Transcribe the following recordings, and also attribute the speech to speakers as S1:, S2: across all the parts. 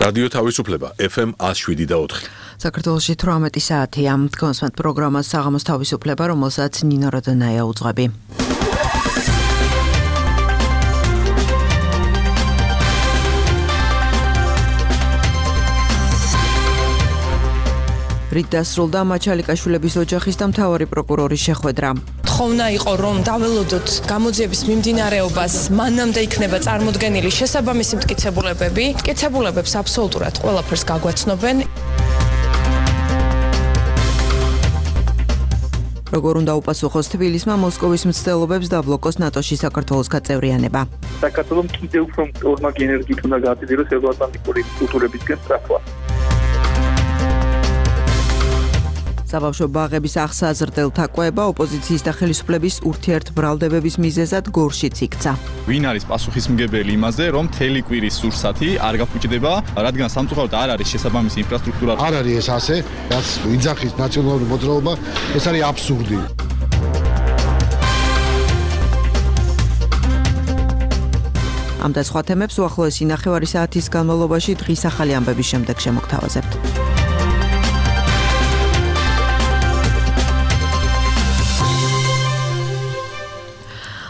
S1: რადიო თავისუფლება FM 107.4.
S2: საქართველოში 18 საათია. კონსვენტ პროგრამა საღამოს თავისუფლება, რომელსაც ნინო როდონაია უძღვები. რით დასრულდა მაჩალიკაშვილების ოჯახის და მთავარი პროკურორის შეხვედრა.
S3: ხოვნა იყო რომ დაველოდოთ გამოძიების მიმდინარეობას, მანამდე იქნება წარმოდგენილი შესაბამისი მტკიცებულებები. მტკიცებულებებს აბსოლუტურად ყველაფერს გაგვაცნობენ.
S2: როგორ უნდა უპასუხოს თბილისმა მოსკოვის მცდელობებს და ბლოკოს ნატოში საქართველოს გაწევრიანება.
S4: საქართველოს კიდევ უფრო ორმაგი ენერგიით უნდა გააძიროს ევროატლანტიკური კულტურებისგან სწრაფვა.
S2: საბავშვო ბაღების აღსაზრდელ თაყვება ოპოზიციის და ხელისუფლების ურთიერთბრალდებების მიზეზად გორშიც იქცა.
S5: ვინ არის პასუხისმგებელი იმაზე, რომ მთელი კვირის სურსათი არ გაფუჭდება, რადგან სამწუხაროდ არ არის შესაბამისი ინფრასტრუქტურა.
S6: არ არის ეს ასე, რაც იძახის ნაციონალური მოძრაობა, ეს არის აბსურდი.
S2: ამ და სხვა თემებს უახლოესი ნახევარი საათის განმავლობაში დღის ახალი ამბების შემდეგ შემოგთავაზებთ.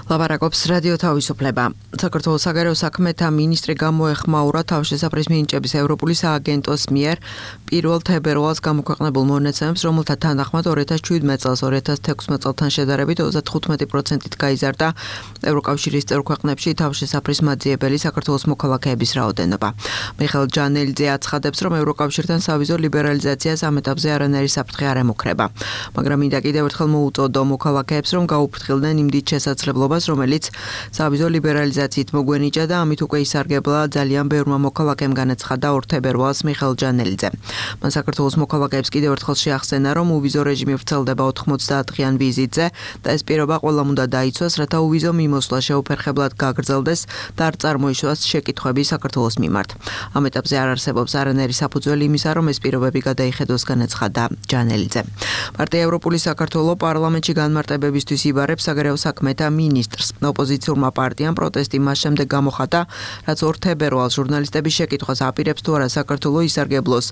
S2: ლაპარაკობს რადიო თავისუფლება. საქართველოს საგარეო საქმეთა მინისტრი გამოეხმაურა თავშესაფრის მინიჭების ევროპული სააგენტოს მიერ 1 თებერვალს გამოქვეყნებულ მონაცემებს, რომელთა თანახმად 2017 წელს 2016 წელთან შედარებით 35%-ით გაიზარდა ევროკავშირის წევრ ქვეყნებში თავშესაფრის მაძიებელი საქართველოს მოქალაქეების რაოდენობა. მიხეილ ჯანელიძე აცხადებს, რომ ევროკავშირთან სავიზო ლიბერალიზაციას ამ ეტაპზე არანაირი საფრთხე არ ემუქრება. მაგრამ მინდა კიდევ ერთხელ მოუწოდო მოქალაქეებს, რომ გაუფრთხილდნენ იმ დიდ შესაძლებლობას, რომელიც სავიზო ლიბერალიზაციით მოგვენიჭა და ამით უკვე ისარგებლა ძალიან ბევრმა მოქალაქემ, განაცხადა 2 თებერვალს მიხეილ ჯანელიძე. მან საქართველოს მოქალაქეებს კიდევ ერთხელ შეახსენა, რომ უვიზო რეჟიმი ვრცელდება 90-დღიან ვიზიტზე და ეს პირობა ყველამ უნდა დაიცვას, რათა უვიზო მიმოსვლა შეუფერხებლად გაგრძელდეს და არ წარმოიშვას შეკითხვები საქართველოს მიმართ. ამ ეტაპზე არ არსებობს არანაირი საფუძველი იმისა, რომ ეს პირობები გადაიხედოს, განაცხადა ჯანელიძე. პარტია ევროპული საქართველო პარლამენტში განმარტებებისთვის იბარებს საგარეო საქმეთა მინისტრს. ოპოზიციურმა პარტიამ პროტესტი მას შემდეგ გამოხატა, რაც 2 თებერვალს ჟურნალისტების შეკითხვას აპირებს თუ არა საქართველო ისარგებლოს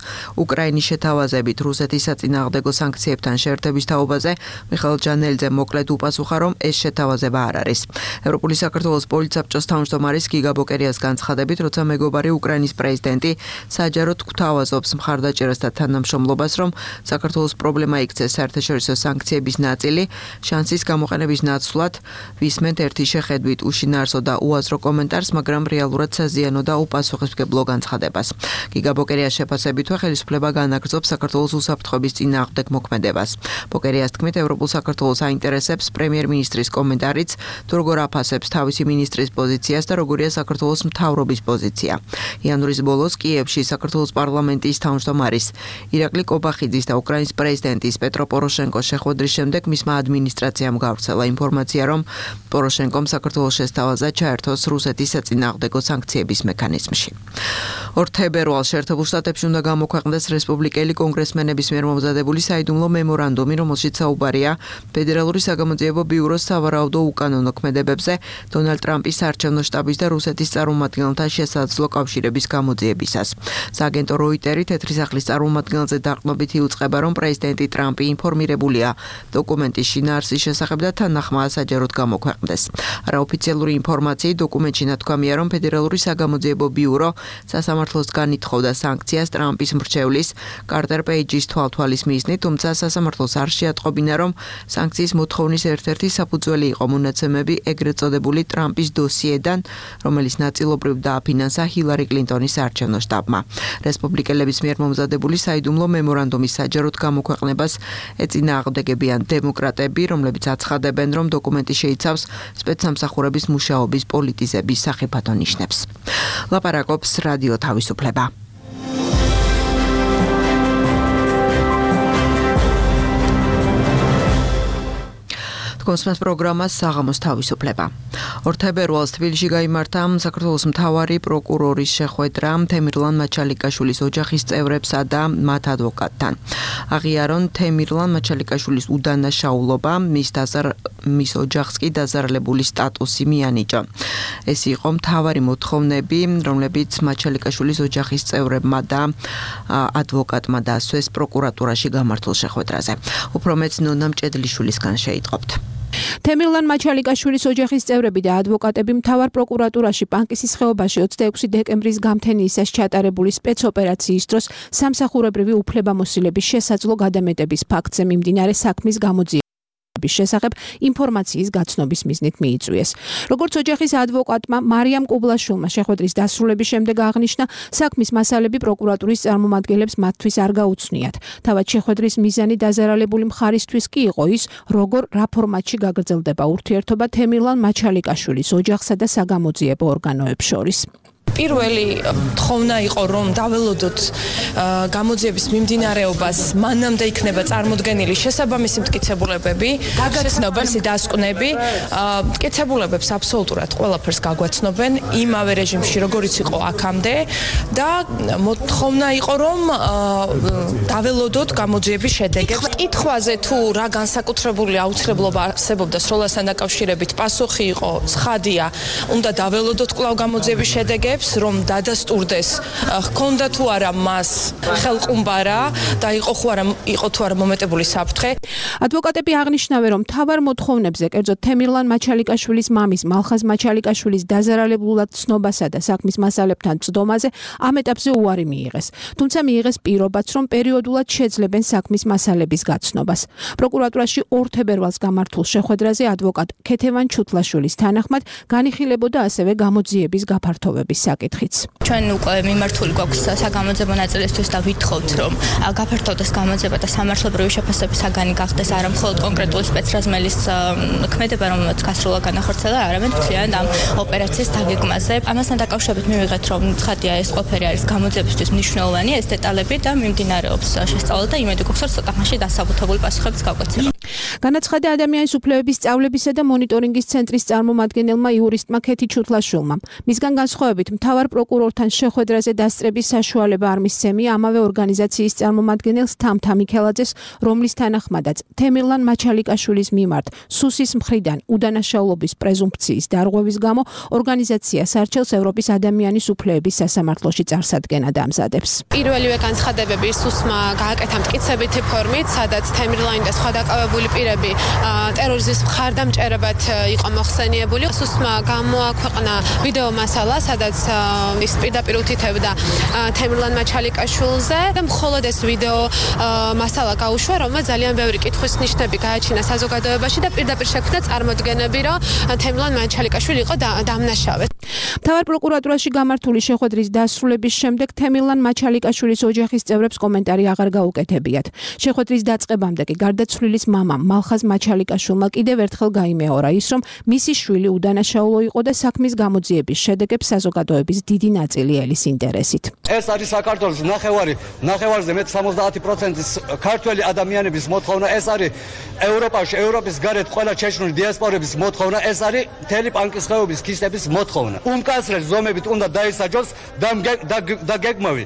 S2: უკრაინის შეთავაზებით რუსეთის საწინააღმდეგო სანქციებთან შეერთების თაობაზე. მიხეილ ჯანელიძემ მოკლედ უპასუხა, რომ ეს შეთავაზება არ არის. ევროპული საქართველოს პოლიცსაბჭოს თავმჯდომარის გიგა ბოკერიას განცხადებით, როცა მეგობარი უკრაინის პრეზიდენტი საჯაროდ გვთავაზობს მხარდაჭერას და თანამშრომლობას, რომ საქართველოს პრობლემა იქცეს საერთაშორისო სანქციების ნაწილი, შანსის გამოყენების ნაცვლად ვისმენთ ერთი შეხედვით უშინაარსო და უაზრო კომენტარს, მაგრამ რეალურად საზიანო და უპასუხისმგებლო განცხადებას. გიგა ბოკერიას შეფასებით, ხელისუფლება განაგრძობს საქართველოს უსაფრთხოების წინააღმდეგ მოქმედებას. ბოკერიას თქმით, ევროპულ საქართველოს აინტერესებს პრემიერ-მინისტრის კომენტარიც, თუ როგორ აფასებს თავისი მინისტრის პოზიციას და როგორია საქართველოს მთავრობის პოზიცია. იანვრის ბოლოს კიევში საქართველოს პარლამენტის თავმჯდომარის ირაკლი კობახიძის და უკრაინის პრეზიდენტის პეტრო პოროშენკოს შეხვედრის შემდეგ მისმა ადმინისტრაციამ გავრცელა ინფორმაცია, რომ პოროშენკომ საქართველოს შესთავაზა ჩაერთოს რუსეთის საწინააღმდეგო სანქციების მექანიზმში. 2 თებერვალს შეერთებულ შტატებში უნდა გამოქვეყნდეს რესპუბლიკელი კონგრესმენების მიერ მომზადებული საიდუმლო მემორანდუმი, რომელშიც საუბარია ფედერალური საგამოძიებო ბიუროს სავარაუდო უკანონო ქმედებებზე, დონალდ ტრამპის საარჩევნო შტაბის და რუსეთის წარმომადგენელთა შესაძლო კავშირების გამოძიებისას. სააგენტო როიტერი თეთრი სახლის წარმომადგენელზე დაყრდნობით იუწყება, რომ პრეზიდენტი ტრამპი ინფორმირებულია დოკუმენტის შინაარსის შესახებ და თანახმაა საჯაროდ გამოქვეყნდეს. არაოფიციალური ინფორმაციით დოკუმენტში ნათქვამია, რომ ფედერალური საგამოძიებო ბიურო სასამართლოსგან ითხოვდა სანქციას ტრამპის მრჩევლის კარტერ პეიჯის თვალთვალის მიზნით, თუმცა სასამართლოს არ შეატყობინა, რომ სანქციის მოთხოვნის ერთ-ერთი საფუძველი იყო მონაცემები ეგრეთ წოდებული ტრამპის დოსიედან, რომელიც ნაწილობრივ დააფინანსა ჰილარი კლინტონის საარჩევნო შტაბმა. რესპუბლიკელების მიერ მომზადებული საიდუმლო მემორანდუმის საჯაროდ გამოქვეყნებას ეწინააღმდეგებიან დემოკრატები, რომლებიც აცხადებენ, რომ დოკუმენტი შეიცავს სპეცსამსახურების მუშაობის პოლიტიზების სახიფათო ნიშნებს. ლაპარაკობს რადიო თავისუფლება. კონსმეს პროგრამას საღამოს თავისუფლება. 2 თებერვალს თბილისში გაიმართა საქართველოს მთავარი პროკურორის შეხვედრა თემირლან მაჩალიკაშვილის ოჯახის წევრებსა და მათ ადვოკატთან. აღიარონ თემირლან მაჩალიკაშვილის უდანაშაულობა, მის ოჯახს კი დაზარალებული სტატუსი მიანიჭა. ეს იყო მთავარი მოთხოვნები, რომლებიც მაჩალიკაშვილის ოჯახის წევრებმა და ადვოკატმა დასვეს პროკურატურაში გამართულ შეხვედრაზე. უფრო მეც ნონა მჭედლიშვილისგან შეიტყობთ.
S7: თემირლან მაჩალიკაშვილის ოჯახის წევრები და ადვოკატები მთავარ პროკურატურაში პანკისის ხეობაში 26 დეკემბრის გამთენიისას ჩატარებული სპეცოპერაციის დროს სამსახურებრივი უფლებამოსილების შესაძლო გადამეტების ფაქტზე მიმდინარე საქმის გამოძიების შესახებ ინფორმაციის გაცნობის მიზნით მიიწვიეს. როგორც ოჯახის ადვოკატმა მარიამ კუბლაშვილმა შეხვედრის დასრულების შემდეგ აღნიშნა, საქმის მასალები პროკურატურის წარმომადგენლებს მათთვის არ გაუცნიათ. თავად შეხვედრის მიზანი დაზარალებული მხარისთვის კი იყო ის, როგორ რა ფორმატში გაგრძელდება ურთიერთობა თემირლან მაჩალიკაშვილის ოჯახსა და საგამოძიებო ორგანოებს შორის.
S3: პირველი თხოვნა იყო, რომ დაველოდოთ გამოძიების მიმდინარეობას, მანამდე იქნება წარმოდგენილი შესაბამისი მტკიცებულებები, გაგაცნობენ დასკვნები, მტკიცებულებებს აბსოლუტურად ყველაფერს გაგვაცნობენ იმავე რეჟიმში, როგორიც იყო აქამდე და მოთხოვნა იყო, რომ დაველოდოთ გამოძიების შედეგებს. კითხვაზე თუ რა განსაკუთრებული აუცილებლობა არსებობდა სროლასთან დაკავშირებით, პასუხი იყო ცხადია, უნდა დაველოდოთ კვლავ გამოძიების შედეგებს, რომ დადასტურდეს, ჰქონდა თუ არა მას ხელყუმბარა და იყო თუ არა მომეტებული საფრთხე.
S7: ადვოკატები აღნიშნავენ, რომ მთავარ მოთხოვნებზე, კერძოდ თემირლან მაჩალიკაშვილის მამის მალხაზ მაჩალიკაშვილის დაზარალებულად ცნობასა და საქმის მასალებთან წდომაზე ამ ეტაპზე უარი მიიღეს. თუმცა მიიღეს პირობაც, რომ პერიოდულად შეძლებენ საქმის მასალების გაცნობას. პროკურატურაში 2 თებერვალს გამართულ შეხვედრაზე ადვოკატ ქეთევან ჩუთლაშვილის თანახმად განიხილებოდა ასევე გამოძიების გაფართოვების საკითხიც.
S8: ჩვენ უკვე მიმართული გვაქვს საგამოძიებო ნაწილისთვის და ვითხოვთ, რომ გაფართოვდეს გამოძიება და სამართლებრივი შეფასების საგანი გახდეს არა მხოლოდ კონკრეტული სპეცრაზმელის ქმედება, რომელიც გასროლა განახორციელა, არამედ მთლიანად ამ ოპერაციის დაგეგმაზე. ამასთან დაკავშირებით მივიღეთ, რომ ცხადია ეს ყველაფერი არის გამოძიებისთვის მნიშვნელოვანი, ეს დეტალები და მიმდინარეობს შესწავლა და იმედი გვაქვს, რომ ცოტა ხანში დასაბუთებული პასუხებიც გავგაცემა.
S7: განაცხადა ადამიანის უფლებების სწავლებისა და მონიტორინგის ცენტრის წარმომადგენელმა იურისტმა ქეთი ჩუთლაშვილმა. მისგან განსხვავებით მთავარ პროკურორთან შეხვედრაზე დასწრების საშუალება არ მისცემია ამავე ორგანიზაციის წარმომადგენელს თამთა მიქელაძეს, რომლის თანახმადაც თემირლან მაჩალიკაშვილის მიმართ სუსის მხრიდან უდანაშაულობის პრეზუმფციის დარღვევის გამო ორგანიზაციას არჩევს ევროპის ადამიანის უფლებების სასამართლოში წარსადგენად ამზადებს.
S9: პირველივე განცხადებები სუსმა გააკეთა მტკიცებითი ფორმით, სადაც თემირლანი და სხვა დაკავებული პირები ტერორიზმის მხარდამჭერებად იყო მოხსენიებული. სუსმა გამოაქვეყნა ვიდეო მასალა, სადაც ის პირდაპირ უთითებდა თემირლან მაჩალიკაშვილზე და მხოლოდ ეს ვიდეო მასალა გაუშვა, რომელმაც ძალიან ბევრი კითხვის ნიშნები გააჩინა საზოგადოებაში და პირდაპირ შექმნა წარმოდგენები, რომ თემირლან მაჩალიკაშვილი იყო დამნაშავე.
S7: მთავარ პროკურატურაში გამართული შეხვედრის დასრულების შემდეგ თემირლან მაჩალიკაშვილის ოჯახის წევრებს კომენტარი აღარ გაუკეთებიათ. შეხვედრის დაწყებამდე კი გარდაცვლილის მამამ მალხაზ მაჩალიკაშვილმა კიდევ ერთხელ გაიმეორა ის, რომ მისი შვილი უდანაშაულო იყო და საქმის გამოძიების შედეგებს საზოგადოების დიდი ნაწილი ელის ინტერესით.
S10: ეს არის საქართველოს ნახევარზე მეტ 70%-ის ქართველი ადამიანების მოთხოვნა, ეს არის ევროპაში, ევროპის გარეთ ყველა ჩეჩნური დიასპორების მოთხოვნა, ეს არის მთელი პანკისხეობის ქისტების მოთხოვნა. უმკაცრეს ზომებით უნდა დაისაჯოს და გეგმავი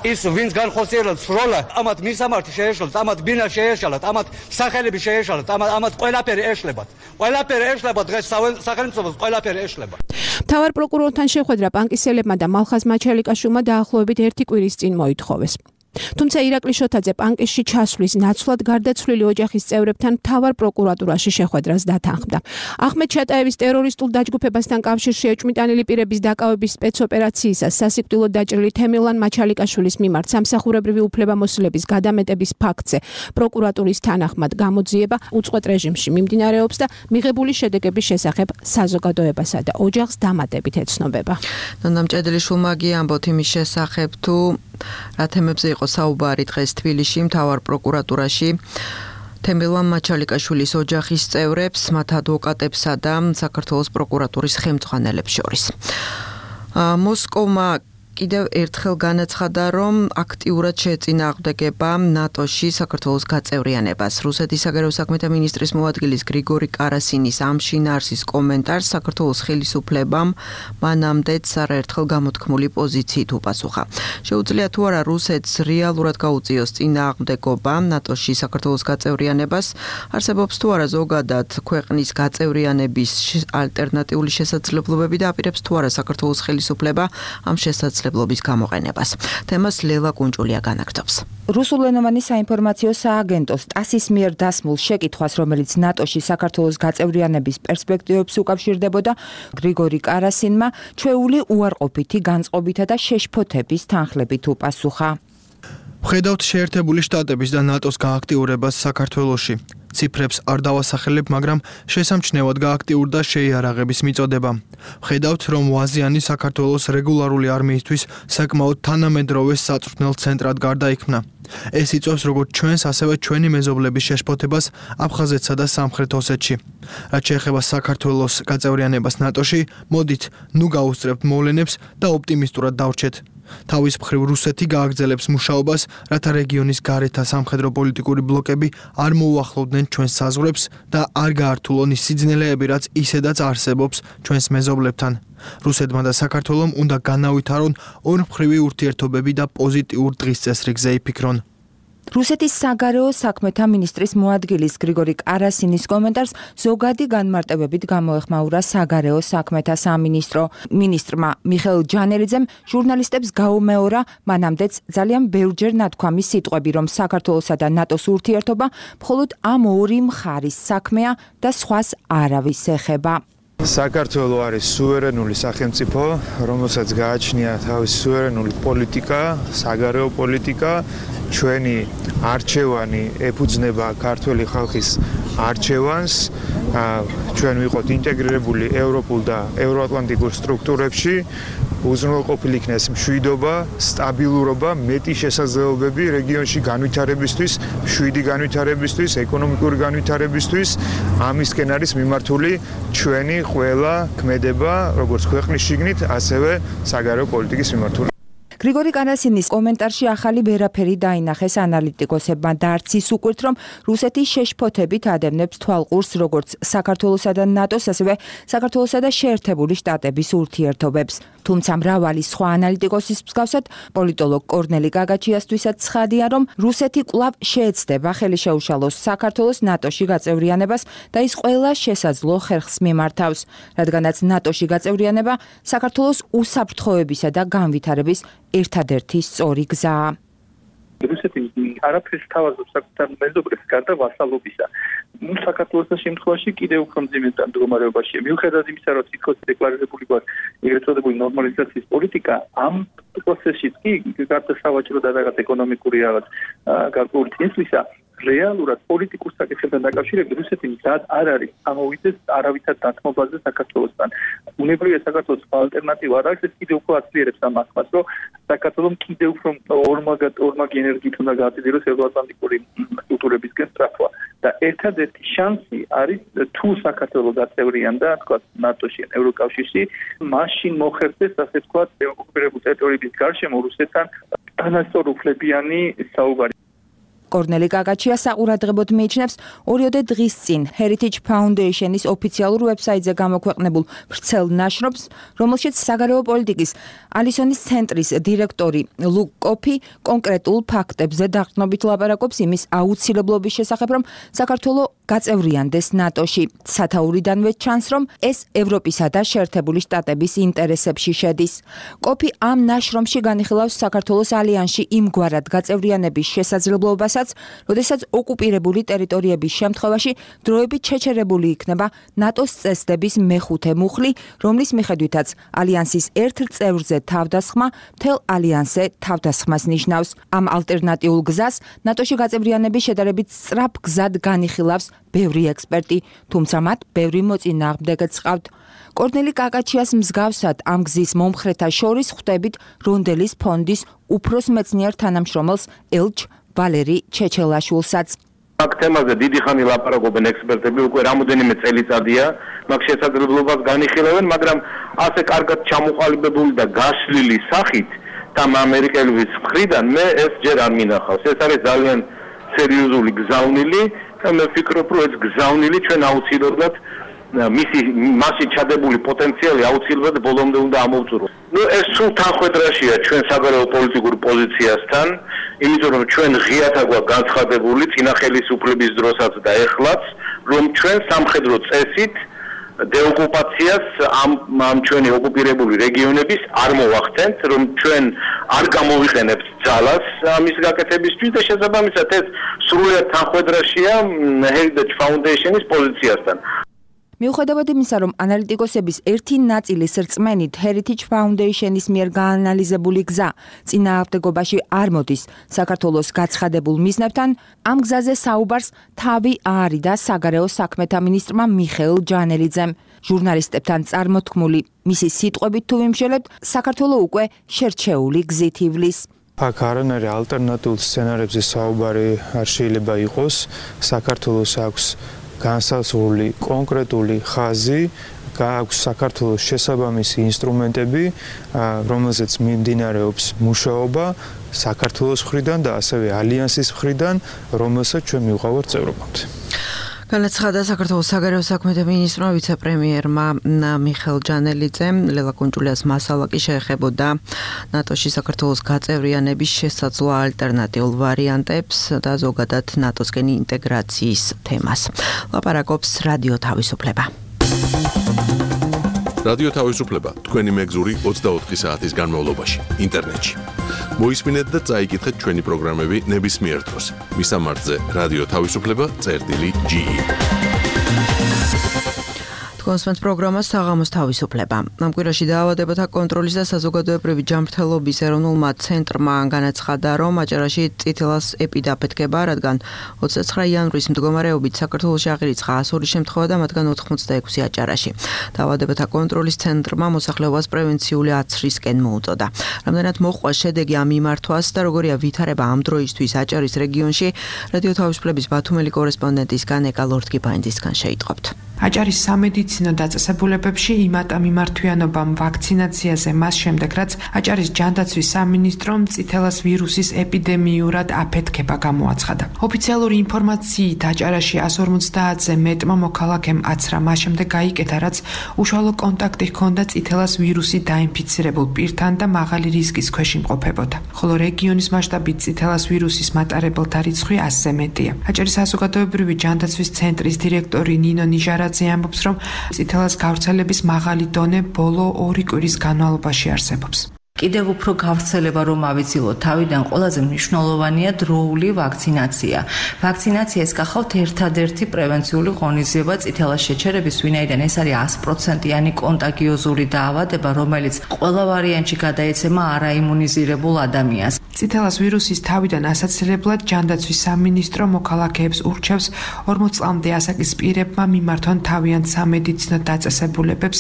S10: ის ვინც განხორციელებს სროლა, ამათ მისამართი შეეშალათ, ამათ ბინა შეეშალათ, ამათ სახელები შეეშალათ, ამათ ყველაფერი ეშლებათ. ყველაფერი ეშლებათ, დღეს სახელმწიფოს ყველაფერი ეშლება.
S7: მთავარ პროკურორთან შეხვედრა პანკისელებმა და მალხაზ მაჩალიკაშვილმა დაახლოებით 1 კვირის წინ მოითხოვეს. თუმცა ირაკლი შოთაძე პანკისში ჩასვლის ნაცვლად გარდაცვლილი ოჯახის წევრებთან მთავარ პროკურატურაში შეხვედრას დათანხმდა. ახმედ ჩატაევის ტერორისტულ დაჯგუფებასთან კავშირში ეჭვმიტანილი პირების დაკავების სპეცოპერაციისას სასიკვდილოდ დაჭრილი თემირლან მაჩალიკაშვილის მიმართ სამსახურებრივი უფლებამოსილების გადამეტების ფაქტზე პროკურატურის თანახმად გამოძიება უწყვეტ რეჟიმში მიმდინარეობს და მიღებული შედეგების შესახებ საზოგადოებასა და ოჯახს დამატებით ეცნობება.
S2: ნონა მჭედლიშვილმა ამბობთ იმის შესახებ თუ რა თემებზე იყო საუბარი დღეს თბილისში მთავარ პროკურატურაში თემირლან მაჩალიკაშვილის ოჯახის წევრებს, მათ ადვოკატებსა და საქართველოს პროკურატურის ხელმძღვანელებს შორის. მოსკოვმა კიდევ ერთხელ განაცხადა, რომ აქტიურად შეეწინააღმდეგება ნატოში საქართველოს გაწევრიანებას. რუსეთის საგარეო საქმეთა მინისტრის მოადგილის გრიგორი კარასინის ამ შინაარსის კომენტარს საქართველოს ხელისუფლებამ მანამდეც არაერთხელ გამოთქმული პოზიციით უპასუხა. შეუძლია თუ არა რუსეთს რეალურად გაუწიოს წინააღმდეგობა ნატოში საქართველოს გაწევრიანებას, არსებობს თუ არა ზოგადად ქვეყნის გაწევრიანების ალტერნატიული შესაძლებლობები და აპირებს თუ არა საქართველოს ხელისუფლება ამ შესაძლებლობის გამოყენებას. თემას ლელა კუნჭულია განაგრძობს.
S11: რუსულენოვანი საინფორმაციო სააგენტოს TASS-ის მიერ დასმულ შეკითხვას, რომელიც ნატოში საქართველოს გაწევრიანების პერსპექტივებს უკავშირდებოდა, გრიგორი კარასინმა ჩვეული უარყოფითი განწყობითა და შეშფოთების თანხლებით უპასუხა.
S12: ვხედავთ შეერთებული შტატების და ნატოს გააქტიურებას საქართველოში. ციფრებს არ დავასახელებ, მაგრამ შესამჩნევად გააქტიურდა შეიარაღების მიწოდება. ვხედავთ, რომ ვაზიანი საქართველოს რეგულარული არმიისთვის საკმაოდ თანამედროვე საწვრთნელ ცენტრად გარდაიქმნა. ეს იწვევს როგორც ჩვენს, ასევე ჩვენი მეზობლების შეშფოთებას აფხაზეთსა და სამხრეთ ოსეთში. რაც შეეხება საქართველოს გაწევრიანებას ნატოში, მოდით, ნუ გაუსწრებთ მოვლენებს და ოპტიმისტურად დავრჩეთ. თავის მხრივ რუსეთი გააგრძელებს მუშაობას, რათა რეგიონის გარეთა სამხედრო პოლიტიკური ბლოკები არ მოუახლოვდნენ ჩვენს საზღვრებს და არ გაართულონ ის სიძნელეები, რაც ისედაც არსებობს ჩვენს მეზობლებთან. რუსეთმა და საქართველომ უნდა განავითარონ ორმხრივი ურთიერთობები და პოზიტიურ დღის წესრიგზე იფიქრონ.
S11: რუსეთის საგარეო საქმეთა მინისტრის მოადგილის გრიგორი კარასინის კომენტარს ზოგადი განმარტებებით გამოეხმაურა საგარეო საქმეთა სამინისტრო. მინისტრმა მიხეილ ჯანელიძემ ჟურნალისტებს გაუმეორა მანამდეც ძალიან ბევრჯერ ნათქვამი სიტყვები, რომ საქართველოსა და ნატოს ურთიერთობა მხოლოდ ამ ორი მხარის საქმეა და სხვას არავის ეხება.
S13: საქართველო არის სუვერენული სახელმწიფო, რომელსაც გააჩნია თავისი სუვერენული პოლიტიკა, საგარეო პოლიტიკა, ჩვენი არჩევანი ეფუძნება ქართველი ხალხის არჩევანს, ჩვენ ვიყოთ ინტეგრირებული ევროპულ და ევროატლანტიკურ სტრუქტურებში, უზრუნველყოფილი იქნეს მშვიდობა, სტაბილურობა, მეტი შესაძლებლობები რეგიონში განვითარებისთვის, მშვიდი განვითარებისთვის, ეკონომიკური განვითარებისთვის, ამისკენ არის მიმართული ჩვენი ყველა ქმედება, როგორც ქვეყნის შიგნით, ასევე საგარეო პოლიტიკის მიმართული.
S11: გრიგორი კარასინის კომენტარში ახალი ვერაფერი დაინახეს ანალიტიკოსებმა და არც ის უკვირთ, რომ რუსეთის შეშფოთებით ადევნებს თვალყურს როგორც საქართველოსა და ნატოს, ასევე საქართველოსა და შეერთებული შტატების ურთიერთობებს. თუმცა მრავალი სხვა ანალიტიკოსის მსგავსად, პოლიტოლოგ კორნელი გაგაჩიასთვისაც ცხადია, რომ რუსეთი კვლავ შეეცდება ხელი შეუშალოს საქართველოს ნატოში გაწევრიანებას და ის ყველა შესაძლო ხერხს მიმართავს, რადგანაც ნატოში გაწევრიანება საქართველოს უსაფრთხოებისა და განვითარების ერთადერთი სწორი გზაა.
S4: რუსეთი არაფერს თავაზობს საკუთარ მეზობლებს გარდა ვასალობისა. საქართველოს შემთხვევაში კიდევ უფრო მძიმე მდგომარეობაშია. მიუხედავად იმისა, რომ თითქოს დეკლარირებული გვაქვს ეგრეთ წოდებული ნორმალიზაციის პოლიტიკა, ამ პროცესშიც კი გარდა სავაჭრო და რაღაც ეკონომიკური რაღაც გარკვეული წინსვლისა, რეალურად პოლიტიკურ საკითხებთან დაკავშირებით რუსეთი მზად არ არის ამოვიდეს არავითარ დათმობაზე საქართველოსთან. უნებრივია საქართველოს ალტერნატივა არ არის, ეს კიდევ უფრო აცლიერებს ამ ახმას, რომ საქართველოს კიდევ უფრო ორმაგი ენერგიით უნდა გააწედოს ევროატლანტიკური სტრუქტურებისკენ სწრაფვა. და ერთადერთი შანსი არის თუ საქართველოს გაწევრიანდა, თქვა ნატოში, ევროკავშირში, მაშინ მოხერხდეს, ასე თქვა, ოკუპირებული ტერიტორიების გარშემო რუსეთთან თანასწორუფლებიანი საუბარი.
S11: კორნელი გაგაჩია საყურადღებოდ მიიჩნევს 2 დღის წინ Heritage Foundation-ის ოფიციალურ ვებსაიტზე გამოქვეყნებულ ვრცელ ნაშრომს, რომელშიც საგარეო პოლიტიკის ალისონის ცენტრის დირექტორი ლუკ კოფი კონკრეტულ ფაქტებზე დაყრდნობით ლაპარაკობს იმის აუცილებლობის შესახებ, რომ საქართველო გაწევრიანდეს ნატოში. სათაურიდანვე ჩანს, რომ ეს ევროპისა და შეერთებული შტატების ინტერესებში შედის. კოფი ამ ნაშრომში განიხილავს საქართველოს ალიანსში იმგვარად გაწევრიანების შესაძლებლობასაც, როდესაც ოკუპირებული ტერიტორიების შემთხვევაში დროებით შეჩერებული იქნება ნატოს წესდების მეხუთე მუხლი, რომლის მიხედვითაც ალიანსის ერთ წევრზე თავდასხმა მთელ ალიანსზე თავდასხმას ნიშნავს. ამ ალტერნატიულ გზას ნატოში გაწევრიანების შედარებით სწრაფ გზად განიხილავს ბევრი ექსპერტი, თუმცა მათ ბევრი მოწინააღმდეგეც ჰყავთ. კორნელი კაკაჩიას მსგავსად ამ გზის მომხრეთა შორის ხვდებით რონდელის ფონდის უფროს მეცნიერ თანამშრომელს ელჩ ვალერი ჩეჩელაშვილსაც.
S14: აქ თემაზე დიდი ხანი ლაპარაკობენ ექსპერტები, უკვე რამოდენიმე წელიწადია, მაგ შესაძლებლობას განიხილავენ, მაგრამ ასე კარგად ჩამოყალიბებული და გაშლილი სახით და ამერიკელების მხრიდან მე ეს ჯერ არ მინახავს. ეს არის ძალიან სერიოზული გზავნილი და მე ვფიქრობ, რომ ეს გზავნილი ჩვენ აუცილებლად მასში ჩადებული პოტენციალი აუცილებლად ბოლომდე უნდა ამოვწურო. ეს სულ თანხმედრაშია ჩვენ საგარეო პოლიტიკურ პოზიციასთან, იმიტომ რომ ჩვენ ღიათ აგვაქვს განცხადებული წინა ხელისუფლების დროსაც და ეხლაც, რომ ჩვენ სამხედრო წესით დეოკუპაციას ამ ჩვენი ოკუპირებული რეგიონების არ მოვახდენთ, რომ ჩვენ არ გამოვიყენებთ ძალას ამის გაკეთებისთვის და შესაბამისად ეს სრულიად თანხმედრაშია Heritage Foundation-ის პოზიციასთან.
S11: მიუხედავად იმისა, რომ ანალიტიკოსების ერთი ნაწილის რწმენით Heritage Foundation-ის მიერ გაანალიზებული გზა წინააღმდეგობაში არ მოდის საქართველოს გაცხადებულ მიზნებთან, ამ გზაზე საუბარს თავი აარიდა საგარეო საქმეთა მინისტრმა მიხეილ ჯანელიძემ. ჟურნალისტებთან წარმოთქმული მისი სიტყვებით თუ ვიმშელებთ, საქართველო უკვე შერჩეული გზით ივლის.
S13: აქ არანაირი ალტერნატიულ სცენარებზე საუბარი არ შეიძლება იყოს. საქართველოს აქვს განსაზღვრული კონკრეტული ხაზი, აქვს საქართველოს შესაბამისი ინსტრუმენტები, რომელზეც მიმდინარეობს მუშაობა საქართველოს მხრიდან და ასევე ალიანსის მხრიდან, რომელსაც ჩვენ მივყავართ წევრობამდე.
S2: განაცხადა საქართველოს საგარეო საქმეთა მინისტრმა ვიცე-პრემიერმა მიხეილ ჯანელიძემ. ლელა კუნჭულიას მასალა კი შეეხებოდა ნატოში საქართველოს გაწევრიანების შესაძლო ალტერნატიულ ვარიანტებს და ზოგადად ნატოსკენ ინტეგრაციის თემას. ლაპარაკობს რადიო თავისუფლება.
S1: რადიო თავისუფლება თქვენი მეგზური 24 საათის განმავლობაში ინტერნეტში. მოისმინეთ და წაიკითხეთ ჩვენი პროგრამები ნებისმიერ დროს. მისამართზე რადიო თავისუფლება.ge. კონსპენს პროგრამა საღამოს თავისუფლება. ამ კვირაში დაავადებათა კონტროლის და საზოგადოებრივი ჯანმრთელობის ეროვნულმა ცენტრმა განაცხადა, რომ აჭარაში წითელას ეპიდემია აფეთქება, რადგან 29 იანვრის მდგომარეობით საქართველოში აღირიცხა 102 შემთხვევა და მათგან 86 აჭარაში. დაავადებათა კონტროლის ცენტრმა მოსახლეობას პრევენციული აცრისკენ მოუწოდა. რამდენად მოჰყვა შედეგი ამ მიმართვას და როგორია ვითარება ამ დროისთვის აჭარის რეგიონში, რადიო თავისუფლების ბათუმელი კორესპონდენტისგან ეკა ლორდკიპაინძისგან შეიტყობთ.
S15: აჭარის სამედიცინო დაწესებულებებში იმატა მიმართვიანობამ ვაქცინაციაზე მას შემდეგ, რაც აჭარის ჯანდაცვის სამინისტრომ წითელას ვირუსის ეპიდემიურად აფეთქება გამოაცხადა. ოფიციალური ინფორმაციით აჭარაში 150-ზე მეტმა მოქალაქემ აცრა, მას შემდეგ გაიკეთა, რაც უშუალო კონტაქტი ჰქონდა წითელას ვირუსით დაინფიცირებულ პირთან და მაღალი რისკის ქვეშ იმყოფებოდა. ხოლო რეგიონის მასშტაბით წითელას ვირუსის მატარებელთა რიცხვი 100-ზე მეტია. აჭარის საზოგადოებრივი ჯანდაცვის ცენტრის დირექტორი ნინო ნიჟარა ამბობს, რომ წითელას გავრცელების მაღალი დონე ბოლო 2 კვირის განმავლობაში არსებობს.
S16: კიდევ უფრო გავრცელება რომ ავიცილოთ თავიდან ყველაზე მნიშვნელოვანია დროული ვაქცინაცია. ვაქცინაციას გახავთ ერთადერთი პრევენციული ღონისძიება წითელას შეჩერების, ვინაიდან ეს არის 100%-იანი კონტაგიოზური დაავადება, რომელიც ყველა ვარიანტში გადაეცემა არაიმუნიზირებულ ადამიანს.
S15: წითელას ვირუსის თავიდან ასაცილებლად ჯანდაცვის სამინისტრო მოქალაქეებს ურჩევს 40 წლამდე ასაკის პირებმა მიმართონ თავიანთ სამედიცინო დაწესებულებებს,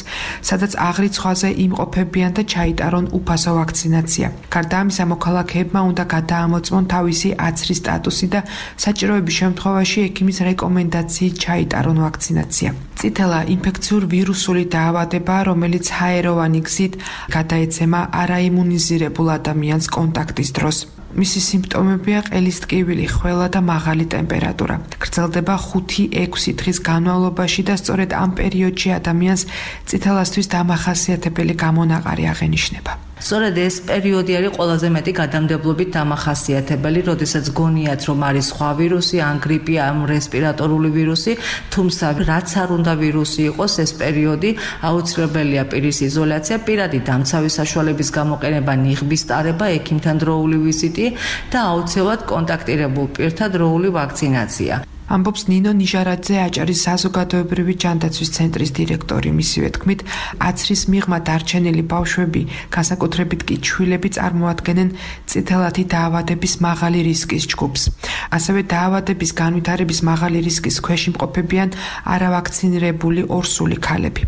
S15: სადაც აღრიცხვაზე იმყოფებიან და ჩაიტარონ უფასო ვაქცინაცია. გარდა ამისა, მოქალაქეებმა უნდა გადაამოწმონ თავისი აცრის სტატუსი და საჭიროების შემთხვევაში ექიმის რეკომენდაციით ჩაიტარონ ვაქცინაცია. წითელა ინფექციურ ვირუსული დაავადება, რომელიც ჰაეროვანი გზით გადაეცემა არაიმუნიზირებულ ადამიანს კონტაქტის დროს. მისი სიმპტომებია ყელის ტკივილი, ხველა და მაღალი ტემპერატურა. გრძელდება 5-6 დღის განმავლობაში და სწორედ ამ პერიოდში ადამიანს წითელასთვის დამახასიათებელი გამონაყარი აღენიშნება.
S16: სწორედ ეს პერიოდი არის ყველაზე მეტი გადამდებლობით დამახასიათებელი, როდესაც გონიათ, რომ არის სხვა ვირუსი, ან გრიპი, ან რესპირატორული ვირუსი, თუმცა რაც არ უნდა ვირუსი იყოს, ეს პერიოდი აუცილებელია პირის იზოლაცია, პირადი დამცავი საშუალების გამოყენება, ნიღბის ტარება, ექიმთან დროული ვიზიტი და აუცილებლად კონტაქტირებულ პირთა დროული ვაქცინაცია.
S15: ამბობს ნინო ნიჟარაძე, აჭარის საზოგადოებრივი ჯანდაცვის ცენტრის დირექტორი. მისივე თქმით, აცრის მიღმა დარჩენილი ბავშვები, განსაკუთრებით კი ჩვილები წარმოადგენენ წითელათი დაავადების მაღალი რისკის ჯგუფს. ასევე დაავადების განვითარების მაღალი რისკის ქვეშ იმყოფებიან არავაქცინირებული ორსული ქალები.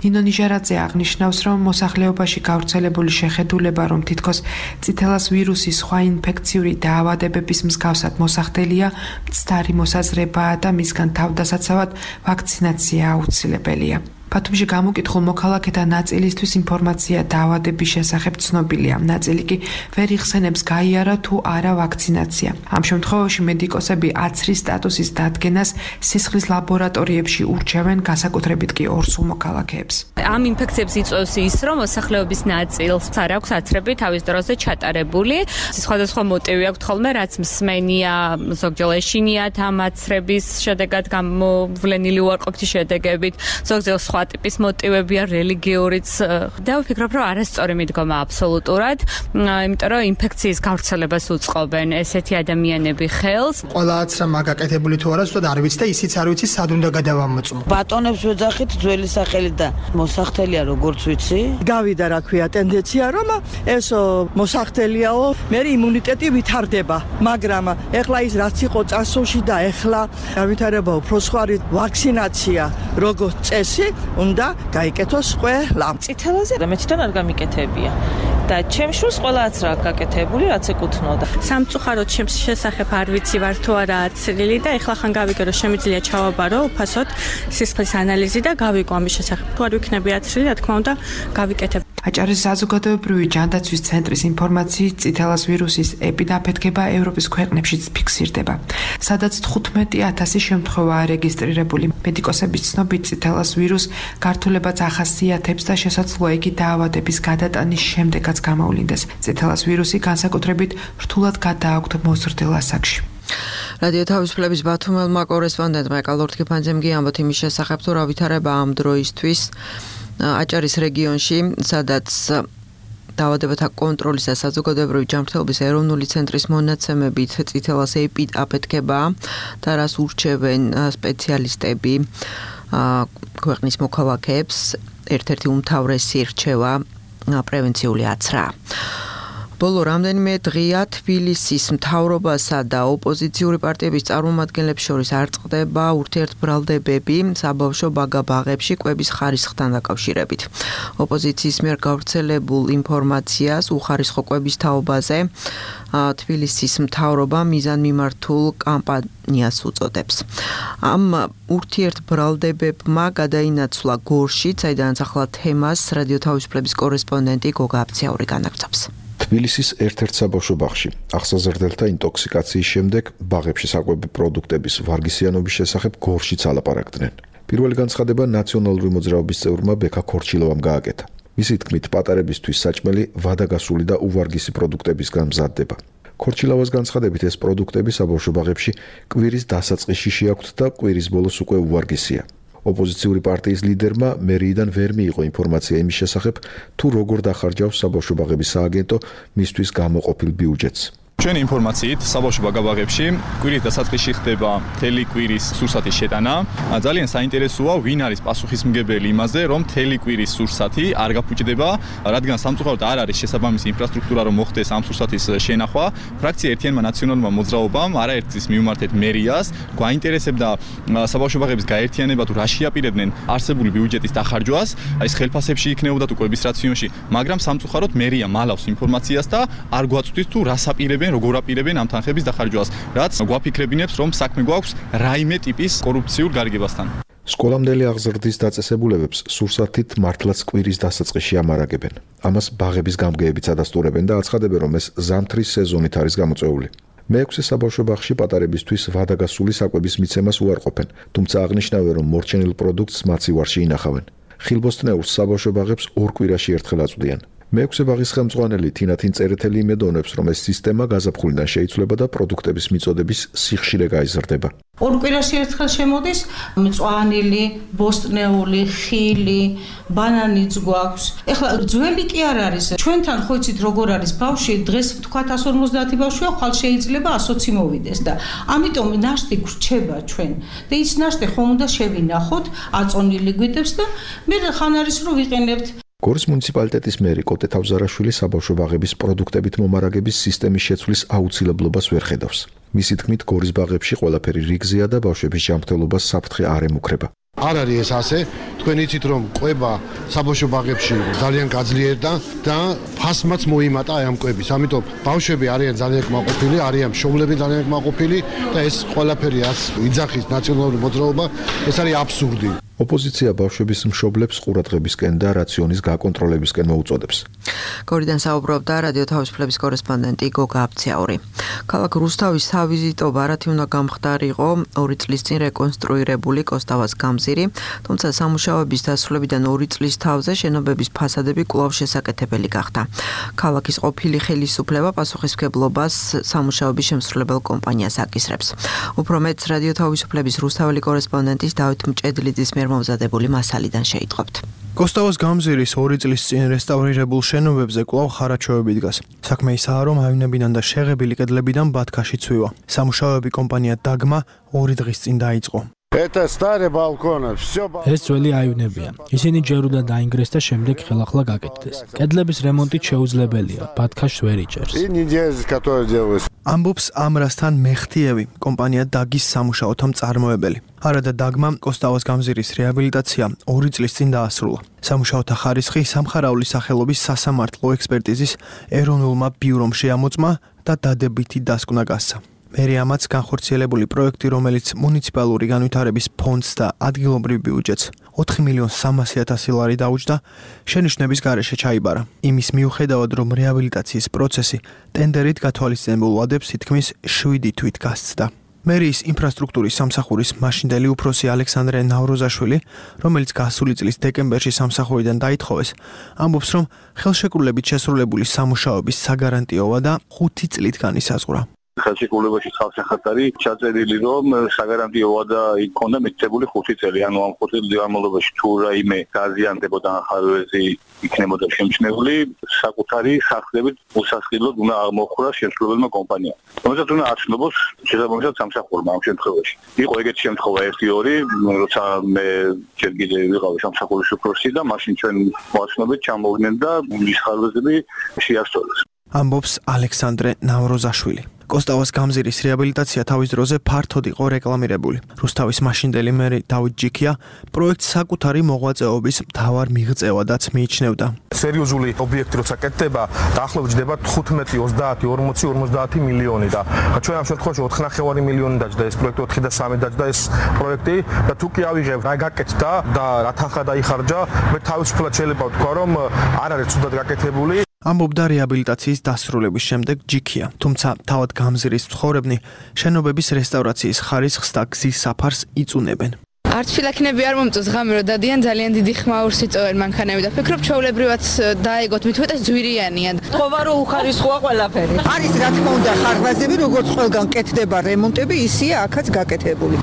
S15: ნინო ნიჟარაძე აღნიშნავს, რომ მოსახლეობაში გავრცელებული შეხედულება, რომ თითქოს წითელას ვირუსის სხვა ინფექციური დაავადებების მსგავსად მოსახდელია, მცდარი მოსაზრება და მისგან თავდასაცავად ვაქცინაცია აუცილებელია. ბათუმში გამოკითხულ მოქალაქეთა ნაწილისთვის ინფორმაცია დაავადების შესახებ ცნობილია. ნაწილი კი ვერ იხსენებს გაიარა თუ არა ვაქცინაცია. ამ შემთხვევაში მედიკოსები აცრის სტატუსის დადგენას სისხლის ლაბორატორიებში ურჩევენ, განსაკუთრებით კი ორსულ მოქალაქეებს.
S17: ამ ინფექციებს იწვევს ის, რომ მოსახლეობის ნაწილს არ აქვს აცრები თავის დროზე ჩატარებული. სხვადასხვა მოტივი აქვს ხოლმე, რაც მსმენია, ზოგჯერ ეშინიათ ამ აცრების შედეგად გამოვლენილი უარყოფითი შედეგებით, ზოგჯერ სხვა ტიპის მოტივებია, რელიგიურიც. და ვფიქრობ, რომ არასწორი მიდგომა აბსოლუტურად, იმიტომ რომ ინფექციის გავრცელებას უწყობენ ესეთი ადამიანები ხელს.
S18: ყველა აცრა მაგაკეთებული თუ არა, ზუსტად არ ვიცი და ისიც არ ვიცი, სად უნდა გადავამოწმო.
S19: ბატონებს ვეძახით ძველი სახელი და მოსახდელია როგორც ვიცი.
S20: გავიდა რა ქვია ტენდენცია, რომ ეს მოსახდელიაო, მე იმუნიტეტი ვითარდება, მაგრამ ეხლა ის რაც იყო წასულში და ეხლა გავითარება უფრო სხვარი ვაქცინაცია როგორც წესი უნდა გაიკეთოს ყველა.
S19: წითელაზე მე თვითონ არ გამიკეთებია. და ჩემს შულს ყველა აცრა გაკეთებული, რაც ეკუთვნოდა.
S17: სამწუხაროდ ჩემს შესახებ არ ვიცი ვარ თუ არა აცრილი და ეხლა ხან გავიგე რომ შემიძლია ჩავაბარო უფასოდ სისხლის ანალიზი და გავიგო ამის შესახებ. თუ არ ვიქნები აცრილი, რა თქმა უნდა, გავიკეთებ.
S15: აჭარის საზოგადოებრივი ჯანდაცვის ცენტრის ინფორმაციით წითელას ვირუსის ეპიდაფეთქება ევროპის ქვეყნებშიც ფიქსირდება, სადაც 15,000 შემთხვევაა რეგისტრირებული. მედიკოსების ცნობით წითელას ვირუს გართულებაც ახასიათებს და შესაძლოა იგი დაავადების გადატანის შემდეგაც გამოვლინდეს. წითელას ვირუსი განსაკუთრებით რთულად გადააქვთ მოზრდილ ასაკში.
S2: რადიო თავისუფლების ბათუმელმა კორესპონდენტმა ეკალორთ კიფანძემ ამბობთ იმის შესახებ, თუ რა ვითარება ამ დროისთვის აჭარის რეგიონში, სადაც დაავადებათა კონტროლის და საზოგადოებრივი ჯანმრთელობის ეროვნული ცენტრის მონაცემებით წითელას ეპიდაფეთქება და რას ურჩევენ სპეციალისტები ქვეყნის მოქალაქეებს, ერთ-ერთი უმთავრესი რჩევა პრევენციული აცრა. ბოლო რამდენიმე დღეა თბილისის მთავრობასა და ოპოზიციური პარტიების წარმომადგენლებს შორის არ წყდება ურთიერთბრალდებები საბავშვო ბაგა-ბაღებში კვების ხარისხთან დაკავშირებით. ოპოზიციის მიერ გავრცელებულ ინფორმაციას უხარისხო კვების თაობაზე თბილისის მთავრობა მიზანმიმართულ კამპანიას უწოდებს. ამ ურთიერთბრალდებებმა გადაინაცვლა გორში, საიდანაც ახლა თემას რადიო თავისუფლების კორესპონდენტი გოგა აბცაური განაგრძობს.
S21: თბილისის ერთ-ერთ საბავშვო ბაღში ახსაზრდელთა ინტოქსიკაციის შემდეგ ბაღებში საკვები პროდუქტების ვარგისიანობის შესახებ გორშიც ალაპარაკდნენ. პირველი განცხადება ნაციონალური მოძრაობის წევრმა ბექა ქორჩილოვამ გააკეთა. მისი თქმით, პატარებისთვის საჭმელი ვადაგასული და უვარგისი პროდუქტებისგან მზადდება. ქორჩილოვას განცხადებით, ეს პროდუქტები საბავშვო ბაღებში კვირის დასაწყისში შეაქვთ და კვირის ბოლოს უკვე უვარგისია. ოპოზიციური პარტიის ლიდერმა მერიიდან ვერ მიიღო ინფორმაცია იმის შესახებ, თუ როგორ დახარჯავს საბავშვო ბაღების სააგენტო მისთვის გამოყოფილ ბიუჯეტს.
S5: ჩვენი ინფორმაციით საბავშვო ბაგა-ბაღებში კვირის დასაწყისში ხდება მთელი კვირის სურსათის შეტანა. ძალიან საინტერესოა, ვინ არის პასუხისმგებელი იმაზე, რომ მთელი კვირის სურსათი არ გაფუჭდება, რადგან სამწუხაროდ არ არის შესაბამისი ინფრასტრუქტურა, რომ მოხდეს ამ სურსათის შენახვა. ფრაქცია ერთიანმა ნაციონალურმა მოძრაობამ არაერთგზის მივმართეთ მერიას, გვაინტერესებდა საბავშვო ბაღების გაერთიანება თუ რა შეაპირებდნენ არსებული ბიუჯეტის დახარჯვას, ეს ხელფასებში იქნებოდა თუ კვების რაციონში, მაგრამ სამწუხაროდ მერია მალავს ინფორმაციას და არ გვაწვდის თუ რას აპირებენ, როგორ აპირებენ ამ თანხების დახარჯვას, რაც გვაფიქრებინებს, რომ საქმე გვაქვს რაიმე ტიპის კორუფციულ გარიგებასთან.
S21: სკოლამდელი აღზრდის დაწესებულებებს სურსათით მართლაც კვირის დასაწყისში ამარაგებენ. ამას ბაღების გამგეებიც ადასტურებენ და აცხადებენ, რომ ეს ზამთრის სეზონით არის გამოწვეული. მე-6 საბავშვო ბაღში პატარებისთვის ვადაგასული საკვების მიცემას უარყოფენ, თუმცა აღნიშნავენ, რომ მორჩენილ პროდუქტს მაცივარში ინახავენ. ხილბოსტნეულს საბავშვო ბაღებს ორ კვირაში ერთხელ აწვდიან. მე-6 ბაღის ხელმძღვანელი თინათინ წერეთელი იმედოვნებს, რომ ეს სისტემა გაზაფხულიდან შეიცვლება და პროდუქტების მიწოდების სიხშირე გაიზრდება.
S22: ორ კვირაში ერთხელ შემოდის მწვანილი, ბოსტნეული, ხილი, ბანანიც გვაქვს. ეხლა ძველი კი არ არის. ჩვენთან ხო იცით როგორ არის ბავშვი, დღეს ვთქვათ 150 ბავშვია, ხვალ შეიძლება 120 მოვიდეს და ამიტომ ნაშთი გრჩება ჩვენ. და ის ნაშთი ხომ უნდა შევინახოთ, აწონილი გვიდებს და მე ხან არის რომ ვიყენებთ.
S21: გორის მუნიციპალიტეტის მერი კოტე თავზარაშვილი საბავშვო ბაღების პროდუქტებით მომარაგების სისტემის შეცვლის აუცილებლობას ვერ ხედავს. მისი თქმით, გორის ბაღებში ყველაფერი რიგზეა და ბავშვების ჯანმრთელობას საფრთხე არ ემუქრება.
S6: არ არის ეს ასე. თქვენ იცით, რომ კვება საბავშვო ბაღებში ძალიან გაძლიერდა და ფასმაც მოიმატა აი ამ კვების. ამიტომ ბავშვები არიან ძალიან კმაყოფილი, არიან მშობლები ძალიან კმაყოფილი და ეს ყველაფერი ას იძახის ნაციონალური მოძრაობა, ეს არის აბსურდი.
S21: ოპოზიცია ბავშვების მშობლებს ყურადღებისკენ და რაციონის გაკონტროლებისკენ მოუწოდებს.
S2: გორიდან საუბრობდა რადიო თავისუფლების კორესპონდენტი გოგა აფციაური. ქალაქ რუსთავის სავიზიტო ბარათი უნდა გამხდარიყო 2 წლის წინ რეკონსტრუირებული კოსტავას გამზირი, თუმცა სამუშაოების დასრულებიდან 2 წლის თავზე შენობების ფასადები კვლავ შესაკეთებელი გახდა. ქალაქის ყოფილი ხელისუფლება პასუხისმგებლობას სამუშაოების შემსრულებელ კომპანიას აკისრებს. უფრო მეტს რადიო თავისუფლების რუსთაველი კორესპონდენტის დავით მჭედლიძის მიერ მომზადებული მასალიდან შეიტყობთ.
S12: კოსტავას გამზირის 2 წლის წინ რესტავრირებულ შენობებზე კვლავ ხარაჩოები დგას. საქმე ისაა, რომ აივნებიდან და შეღებილი კედლებიდან ბათქაში ცვივა. სამუშაოები კომპანია დაგმა 2 დღის წინ დაიწყო.
S3: ეს ძველი აივნებია. ისინი ჯერ უნდა დაინგრეს და შემდეგ ხელახლა გაკეთდეს. კედლების რემონტი შეუძლებელია, ბათქაშს ვერ იჭერს.
S12: ამბობს ამრასთან მეხთიევი, კომპანია დაგის სამუშაოთა მწარმოებელი. არადა დაგმამ კოსტავას გამზირის რეაბილიტაცია 2 წლის წინ დაასრულა. სამუშაოთა ხარისხი სამხარაულის სახელობის სასამართლო ექსპერტიზის ეროვნულმა ბიურომ შეამოწმა და დადებითი დასკვნა გასცა. მერიამაც განხორციელებული პროექტი, რომელიც მუნიციპალური განვითარების ფონდს და ადგილობრივ ბიუჯეტს 4.300.000 ლარი დაუჯდა, შენიშვნების გარეშე ჩაიბარა. იმის მიუხედავად, რომ რეაბილიტაციის პროცესი ტენდერით გათვალისწინებულ ვადებს თითქმის 7 თვით გასცდა. მერიის ინფრასტრუქტურის სამსახურის მაშინდელი უფროსი ალექსანდრე ნავროზაშვილი, რომელიც გასული წლის დეკემბერში სამსახურიდან დაითხოვეს, ამბობს, რომ ხელშეკრულებით შესრულებული სამუშაოების საგარანტიო ვადა 5 წლით განისაზღვრა.
S14: ხელშეკრულებაში ხალხსახატარი ჩაწერილი, რომ საგარანტიო ვადა იქონდა მითითებული 5 წელი, ანუ ამ 5 წლის განმავლობაში თუ რაიმე გაზიანდებოდა ახალვეზი იქნებოდა შემჩნეული, საკუთარი სახსრებით უსასყიდლოდ უნდა აღმოხვრა შემსრულებელმა კომპანიამ. რომელსაც უნდა აცნობოს შესაბამისად სამსახურმა ამ შემთხვევაში. იყო ეგეთი შემთხვევა 1-2, როცა მე ჯერ კიდე ვიყავი სამსახურის უფროსი და მაშინ ჩვენ მოაცნობეთ ჩამოვიდნენ და ის ხალვეზები შეასწორეს.
S12: ამბობს ალექსანდრე ნავროზაშვილი. კოსტავას გამზირის რეაბილიტაცია თავის დროზე ფართოდ იყო რეკლამირებული. რუსთავის მაშინდელი მერი დავით ჯიქია პროექტს საკუთარი მოღვაწეობის მთავარ მიღწევადაც მიიჩნევდა.
S8: სერიოზული ობიექტი როცა კეთდება, დაახლოებით ჯდება 15, 30, 40, 50 მილიონი და ჩვენ ამ შემთხვევაში 4.5 მილიონი დაჯდა ეს პროექტი, 4 და 3 დაჯდა ეს პროექტი და თუ კი ავიღებ, რა გაკეთდა და რა თანხა დაიხარჯა, მე თავისუფლად შეიძლება ვთქვა, რომ არ არის ცუდად გაკეთებული.
S12: ამბობდა რეაბილიტაციის დასრულების შემდეგ ჯიქია, თუმცა თავად გამზირის მცხოვრებნი შენობების რესტავრაციის ხარისხს და გზის საფარს იწუნებენ.
S23: არც ფილაქნები არ მომწონს ღამე რომ დადიან, ძალიან დიდი ხმაურს იწოვენ მანქანები და ფიქრობ ჩვეულებრივად დაეგოთ, მით უმეტეს ძვირიანია.
S20: თქობა რომ უხარისხოა ყველაფერი. არის რა თქმა უნდა ხარვაზები, როგორც ყველგან კეთდება რემონტები, ისია აქაც გაკეთებული.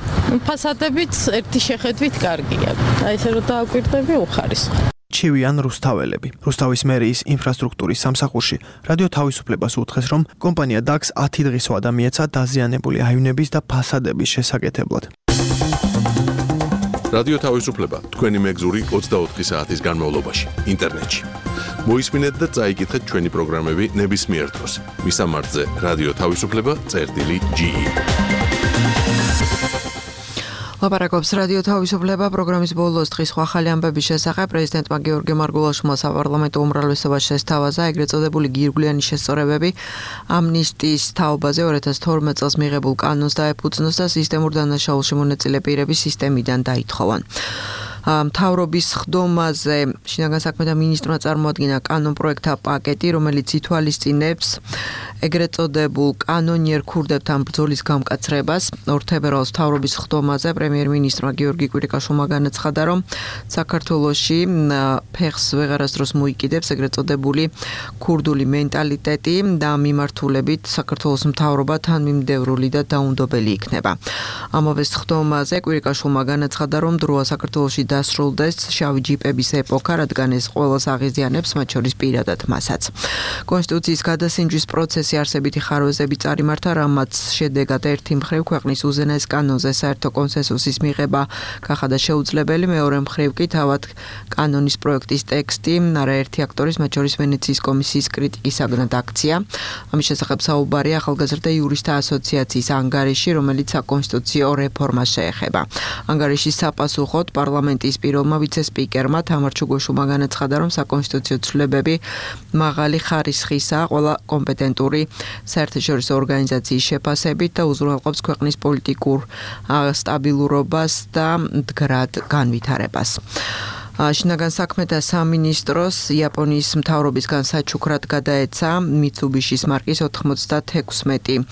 S23: ფასადებიც ერთი შეხედვით კარგია. აი ესე რომ დააკვირდები უხარისხო.
S12: ჩივიან რუსთაველები. რუსთავის მერიის ინფრასტრუქტურის სამსახურში რადიო თავისუფლებას უთხრეს, რომ კომპანია დაგს 10 დღის ვადა მიეცა დაზიანებული აივნების და ფასადების შესაკეთებლად.
S24: რადიო თავისუფლება თქვენი მეგზური 24 საათის განმავლობაში ინტერნეტში. მოისმინეთ და წაიკითხეთ ჩვენი პროგრამები ნებისმიერ დროს. მისამართზე რადიო თავისუფლება.ge.
S2: ლაპარაკობს რადიო თავისუფლება პროგრამის ბოლოს დღის ახალი ამბების შესახებ. პრეზიდენტმა გიორგი მარგულაშვილმა საპარლამენტო უმრავლესობას შესთავაზა ეგრეთ წოდებული გირგვლიანი შესწორებები ამნისტიის თაობაზე 2012 წელს მიღებულ კანონს დაეფუძნოს და სისტემურ დანაშაულში მონაწილე პირების სისტემიდან დაითხოვან. მთავრობის ხდომაზე შინაგან საქმეთა მინისტრმა წარმოადგინა კანონპროექტთა პაკეტი, რომელიც ითვალისწინებს ეგრეთ წოდებულ კანონიერ ქურდებთან ბრძოლის გამკაცრებას. 2 თებერვალს მთავრობის ხდომაზე პრემიერ-მინისტრმა გიორგი კვირიკაშვილმა განაცხადა, რომ საქართველოში ფეხს ვეღარასდროს მოიკიდებს ეგრეთ წოდებული ქურდული მენტალიტეტი და მიმართულებით საქართველოს მთავრობა თანმიმდევრული და დაუნდობელი იქნება. ამავე ხდომაზე კვირიკაშვილმა განაცხადა, რომ დროა საქართველოში დასრულდეს შავი ჯიპების ეპოქა, რადგან ეს ყველას აღიზიანებს, მათ შორის პირადად მასაც. კონსტიტუციის გადასინჯვის პროცესი არსებითი ხარვეზები წარიმართა, რამაც შედეგად ერთი მხრივ ქვეყნის უზენაეს კანონზე საერთო კონსენსუსის მიღება გახადა შეუძლებელი, მეორე მხრივ კი თავად კანონის პროექტის ტექსტი არაერთი აქტორის, მათ შორის ვენეციის კომისიის კრიტიკისაგან აქცია. ამის შესახებ საუბარია ახალგაზრდა იურისტთა ასოციაციის ანგარიში, რომელიც საკონსტიტუციო რეფორმას შეეხება. ანგარიშის საპასუხოდ პარლამენტის კომიტეტის პირველმა ვიცე-სპიკერმა თამარ ჩუგოშუმა განაცხადა, რომ საკონსტიტუციო ცვლილებები მაღალი ხარისხისაა ყველა კომპეტენტური საერთაშორისო ორგანიზაციის შეფასებით და უზრუნველყოფს ქვეყნის პოლიტიკურ სტაბილურობას და მდგრად განვითარებას. შინაგან საქმეთა სამინისტროს იაპონიის მთავრობისგან საჩუქრად გადაეცა Mitsubishi-ის მარკის 96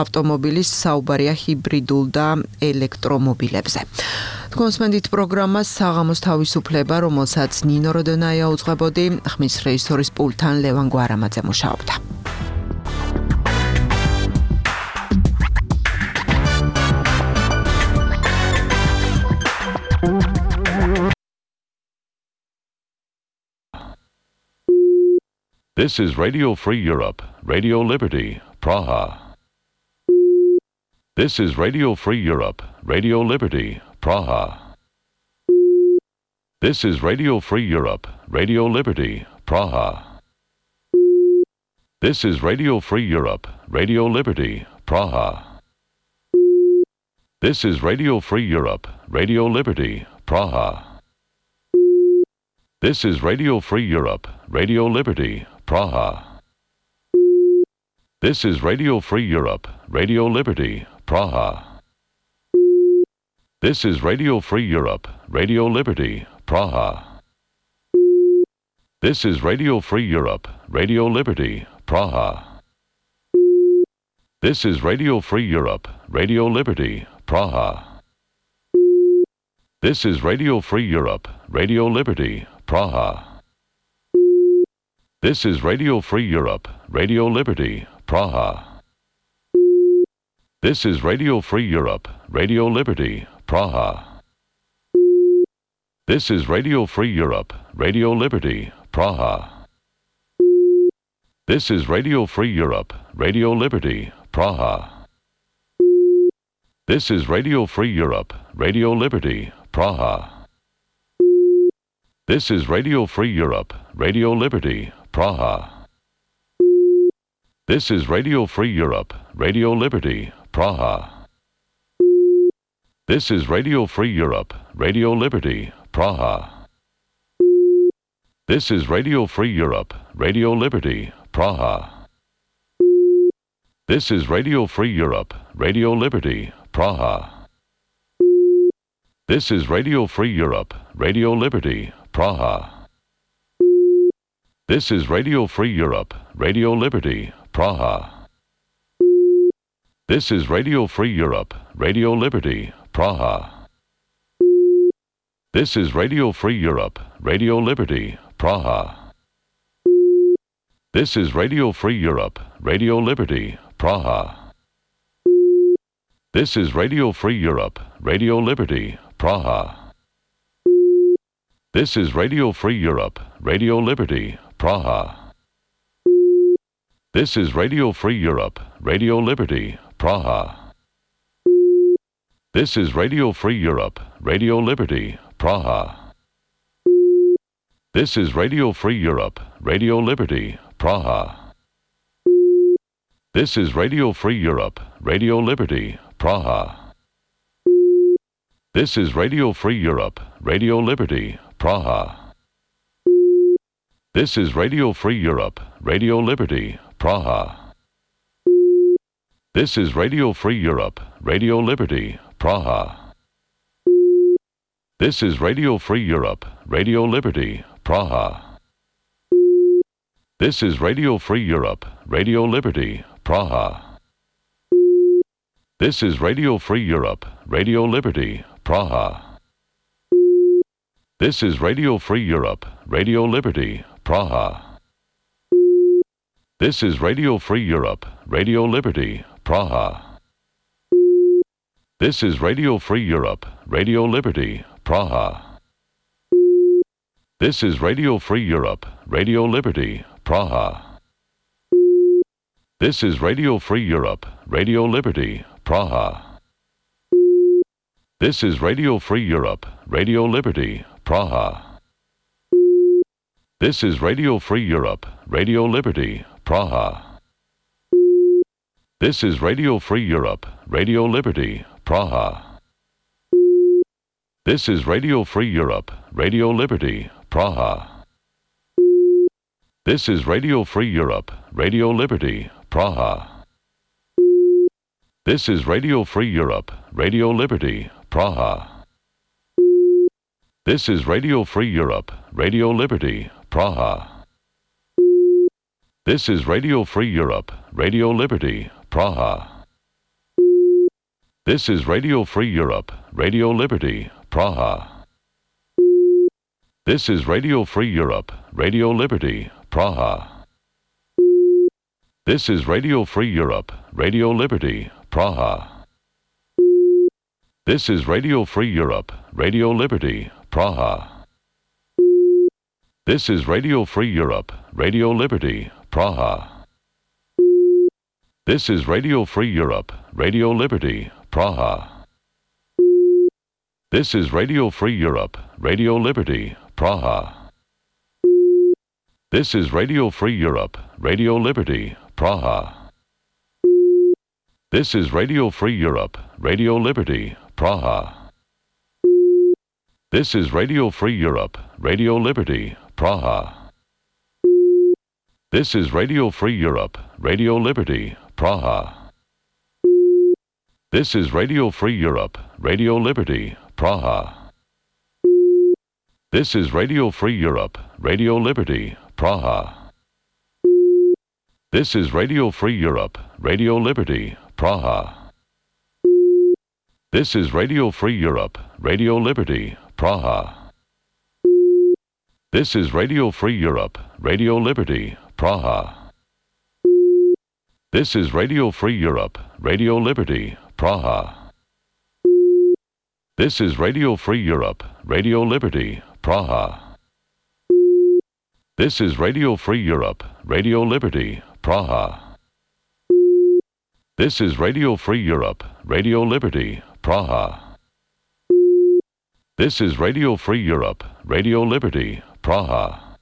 S2: ავტომობილის საუბარია ჰიბრიდულ და ელექტრომობილებზე. კონსმენდით პროგრამას საღამოს თავისუფლება, რომელსაც ნინო როდონაია უძღვებოდი, ხმის რეჟისორის პულტთან ლევან გვარამაძე მუშაობდა.
S4: This is Radio Free Europe, Radio Liberty, Praha. This is Radio Free Europe, Radio Liberty, Praha. This is Radio Free Europe, Radio Liberty, Praha. This is Radio Free Europe, Radio Liberty, Praha. This is Radio Free Europe, Radio Liberty, Praha. This is Radio Free Europe, Radio Liberty, Praha. This is Radio Free Europe, Radio Liberty, Praha. This is Radio Free Europe, Radio Liberty, Praha. This is Radio Free Europe, Radio Liberty, Praha. This is Radio Free Europe, Radio Liberty, Praha. This is Radio Free Europe, Radio Liberty, Praha. This is Radio Free Europe, Radio Liberty, Praha. This is Radio Free Europe, Radio Liberty, Praha. This is Radio Free Europe, Radio Liberty, Praha. This is Radio Free Europe, Radio Liberty, Praha. This is Radio Free Europe, Radio Liberty, Praha. This is Radio Free Europe, Radio Liberty, Praha. This is Radio Free Europe, Radio Liberty, Praha. This is Radio Free Europe, Radio Liberty, Praha. This is Radio Free Europe, Radio Liberty, Praha. This is Radio Free Europe, Radio Liberty, Praha. This is Radio Free Europe, Radio Liberty, Praha. This is Radio Free Europe, Radio Liberty, Praha. This is Radio Free Europe, Radio Liberty, Praha. This is Radio Free Europe, Radio Liberty, Praha. This is Radio Free Europe, Radio Liberty, Praha. This is Radio Free Europe, Radio Liberty, Praha. This is Radio Free Europe, Radio Liberty, Praha. This is Radio Free Europe, Radio Liberty, Praha. This is Radio Free Europe, Radio Liberty, Praha. This is Radio Free Europe, Radio Liberty, Praha. This is Radio Free Europe, Radio Liberty, Praha. This is Radio Free Europe, Radio Liberty, Praha. This is Radio Free Europe, Radio Liberty, Praha. This is Radio Free Europe, Radio Liberty, Praha. This is Radio Free Europe, Radio Liberty, Praha. This is Radio Free Europe, Radio Liberty, Praha. This is Radio Free Europe, Radio Liberty, Praha. This is Radio Free Europe, Radio Liberty, Praha. This is Radio Free Europe, Radio Liberty, Praha. This is Radio Free Europe, Radio Liberty, Praha. This is Radio Free Europe, Radio Liberty, Praha. This is Radio Free Europe, Radio Liberty, Praha. This is Radio Free Europe, Radio Liberty, Praha. This is Radio Free Europe, Radio Liberty, Praha. This is Radio Free Europe, Radio Liberty, Praha. This is Radio Free Europe, Radio Liberty, Praha. This is Radio Free Europe, Radio Liberty, Praha. This is Radio Free Europe, Radio Liberty, Praha. This is Radio Free Europe, Radio Liberty, Praha. This is Radio Free Europe, Radio Liberty, Praha. This is Radio Free Europe, Radio Liberty, Praha. This is Radio Free Europe, Radio Liberty, Praha. This is Radio Free Europe, Radio Liberty, Praha. This is Radio Free Europe, Radio Liberty, Praha. This is Radio Free Europe, Radio Liberty, Praha. This is Radio Free Europe, Radio Liberty, Praha. This is Radio Free Europe, Radio Liberty, Praha. This is Radio Free Europe, Radio Liberty, Praha. This is Radio Free Europe, Radio Liberty, Praha. This is Radio Free Europe, Radio Liberty, Praha. This is Radio Free Europe, Radio Liberty, Praha. This is Radio Free Europe, Radio Liberty, Praha. This is Radio Free Europe, Radio Liberty, Praha. This is Radio Free Europe, Radio Liberty, Praha. This is Radio Free Europe, Radio Liberty, Praha. This is Radio Free Europe, Radio Liberty, Praha. This is Radio Free Europe, Radio Liberty, Praha. This is Radio Free Europe, Radio Liberty, Praha. This is Radio Free Europe, Radio Liberty, Praha. This is Radio Free Europe, Radio Liberty, Praha. This is Radio Free Europe, Radio Liberty, Praha.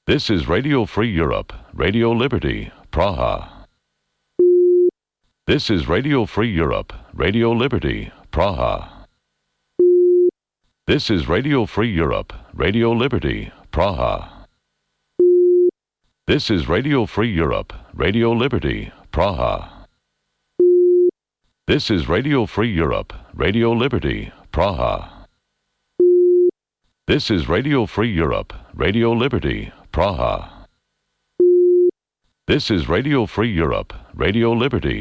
S4: This is Radio Free Europe, Radio Liberty, Praha. This is Radio Free Europe, Radio Liberty, Praha. This is Radio Free Europe, Radio Liberty, Praha. This is Radio Free Europe, Radio Liberty, Praha. This is Radio Free Europe, Radio Liberty, Praha. This is Radio Free Europe, Radio Liberty, Praha. This is Radio Free Europe, Radio Liberty,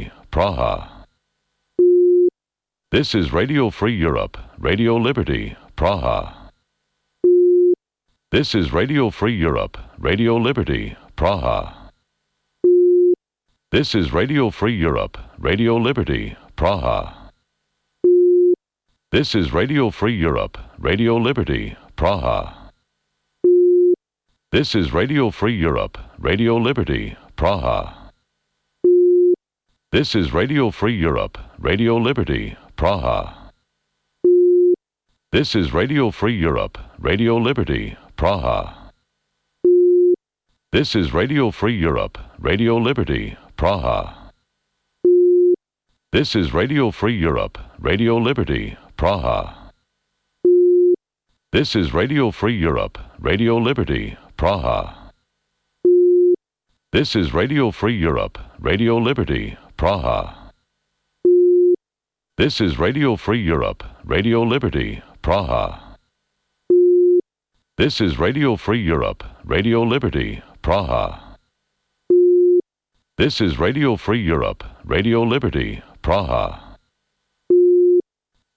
S4: Praha. This is Radio Free Europe, Radio Liberty, Praha. This is Radio Free Europe, Radio Liberty, Praha. This is Radio Free Europe, Radio Liberty, Praha. This is Radio Free Europe, Radio Liberty, Praha. This is Radio Free Europe, Radio Liberty, Praha. This is Radio Free Europe, Radio Liberty, Praha. This is Radio Free Europe, Radio Liberty, Praha. This is Radio Free Europe, Radio Liberty, Praha. This is Radio Free Europe, Radio Liberty, Praha. This is Radio Free Europe, Radio Liberty, Praha. This is Radio Free Europe, Radio Liberty, Praha. This is Radio Free Europe, Radio Liberty, Praha. This is Radio Free Europe, Radio Liberty, Praha. This is Radio Free Europe, Radio Liberty, Praha.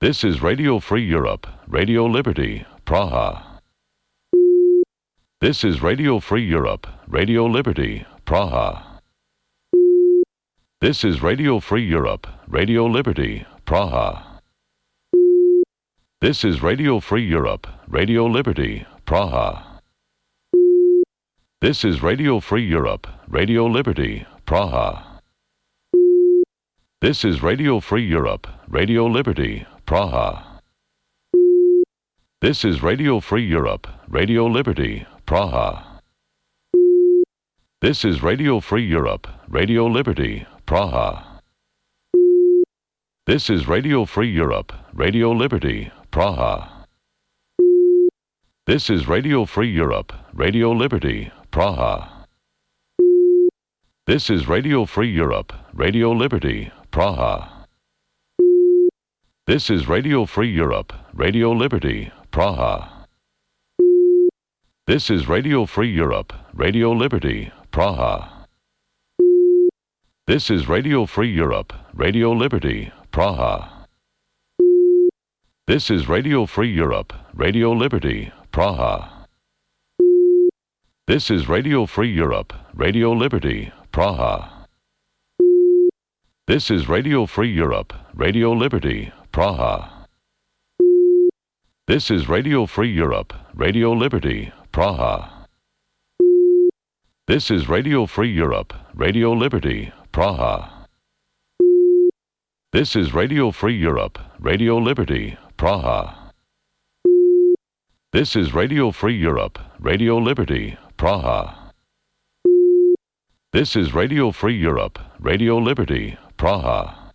S4: This is Radio Free Europe, Radio Liberty, Praha. This is Radio Free Europe, Radio Liberty, Praha. This is Radio Free Europe, Radio Liberty, Praha. This is Radio Free Europe, Radio Liberty, Praha. This is Radio Free Europe, Radio Liberty, Praha. This is Radio Free Europe, Radio Liberty, Praha. This is Radio Free Europe, Radio Liberty, Praha. This is Radio Free Europe, Radio Liberty, Praha. This is Radio Free Europe, Radio Liberty, Praha. This is Radio Free Europe, Radio Liberty, Praha. This is Radio Free Europe, Radio Liberty, Praha. This is Radio Free Europe, Radio Liberty, Praha. This is Radio Free Europe, Radio Liberty, Praha. This is Radio Free Europe, Radio Liberty, Praha. This is Radio Free Europe, Radio Liberty, Praha. This is Radio Free Europe, Radio Liberty, Praha. This is Radio Free Europe, Radio Liberty, Praha. This is Radio Free Europe, Radio Liberty, Praha. This is Radio Free Europe, Radio Liberty, Praha. This is Radio Free Europe, Radio Liberty, Praha. This is Radio Free Europe, Radio Liberty, Praha. This is Radio Free Europe, Radio Liberty, Praha.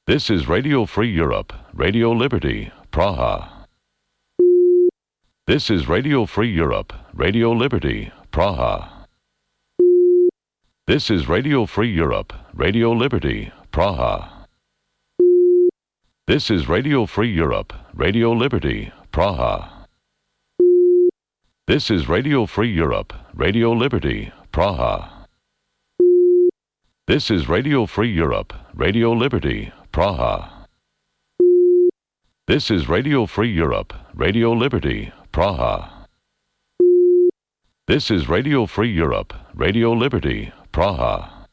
S4: This is Radio Free Europe, Radio Liberty, Praha. This is Radio Free Europe, Radio Liberty, Praha. This is Radio Free Europe, Radio Liberty, Praha. This is Radio Free Europe, Radio Liberty, Praha. This is Radio Free Europe, Radio Liberty, Praha. This is Radio Free Europe, Radio Liberty, Praha. This is Radio Free Europe, Radio Liberty, Praha. This is Radio Free Europe, Radio Liberty, Praha.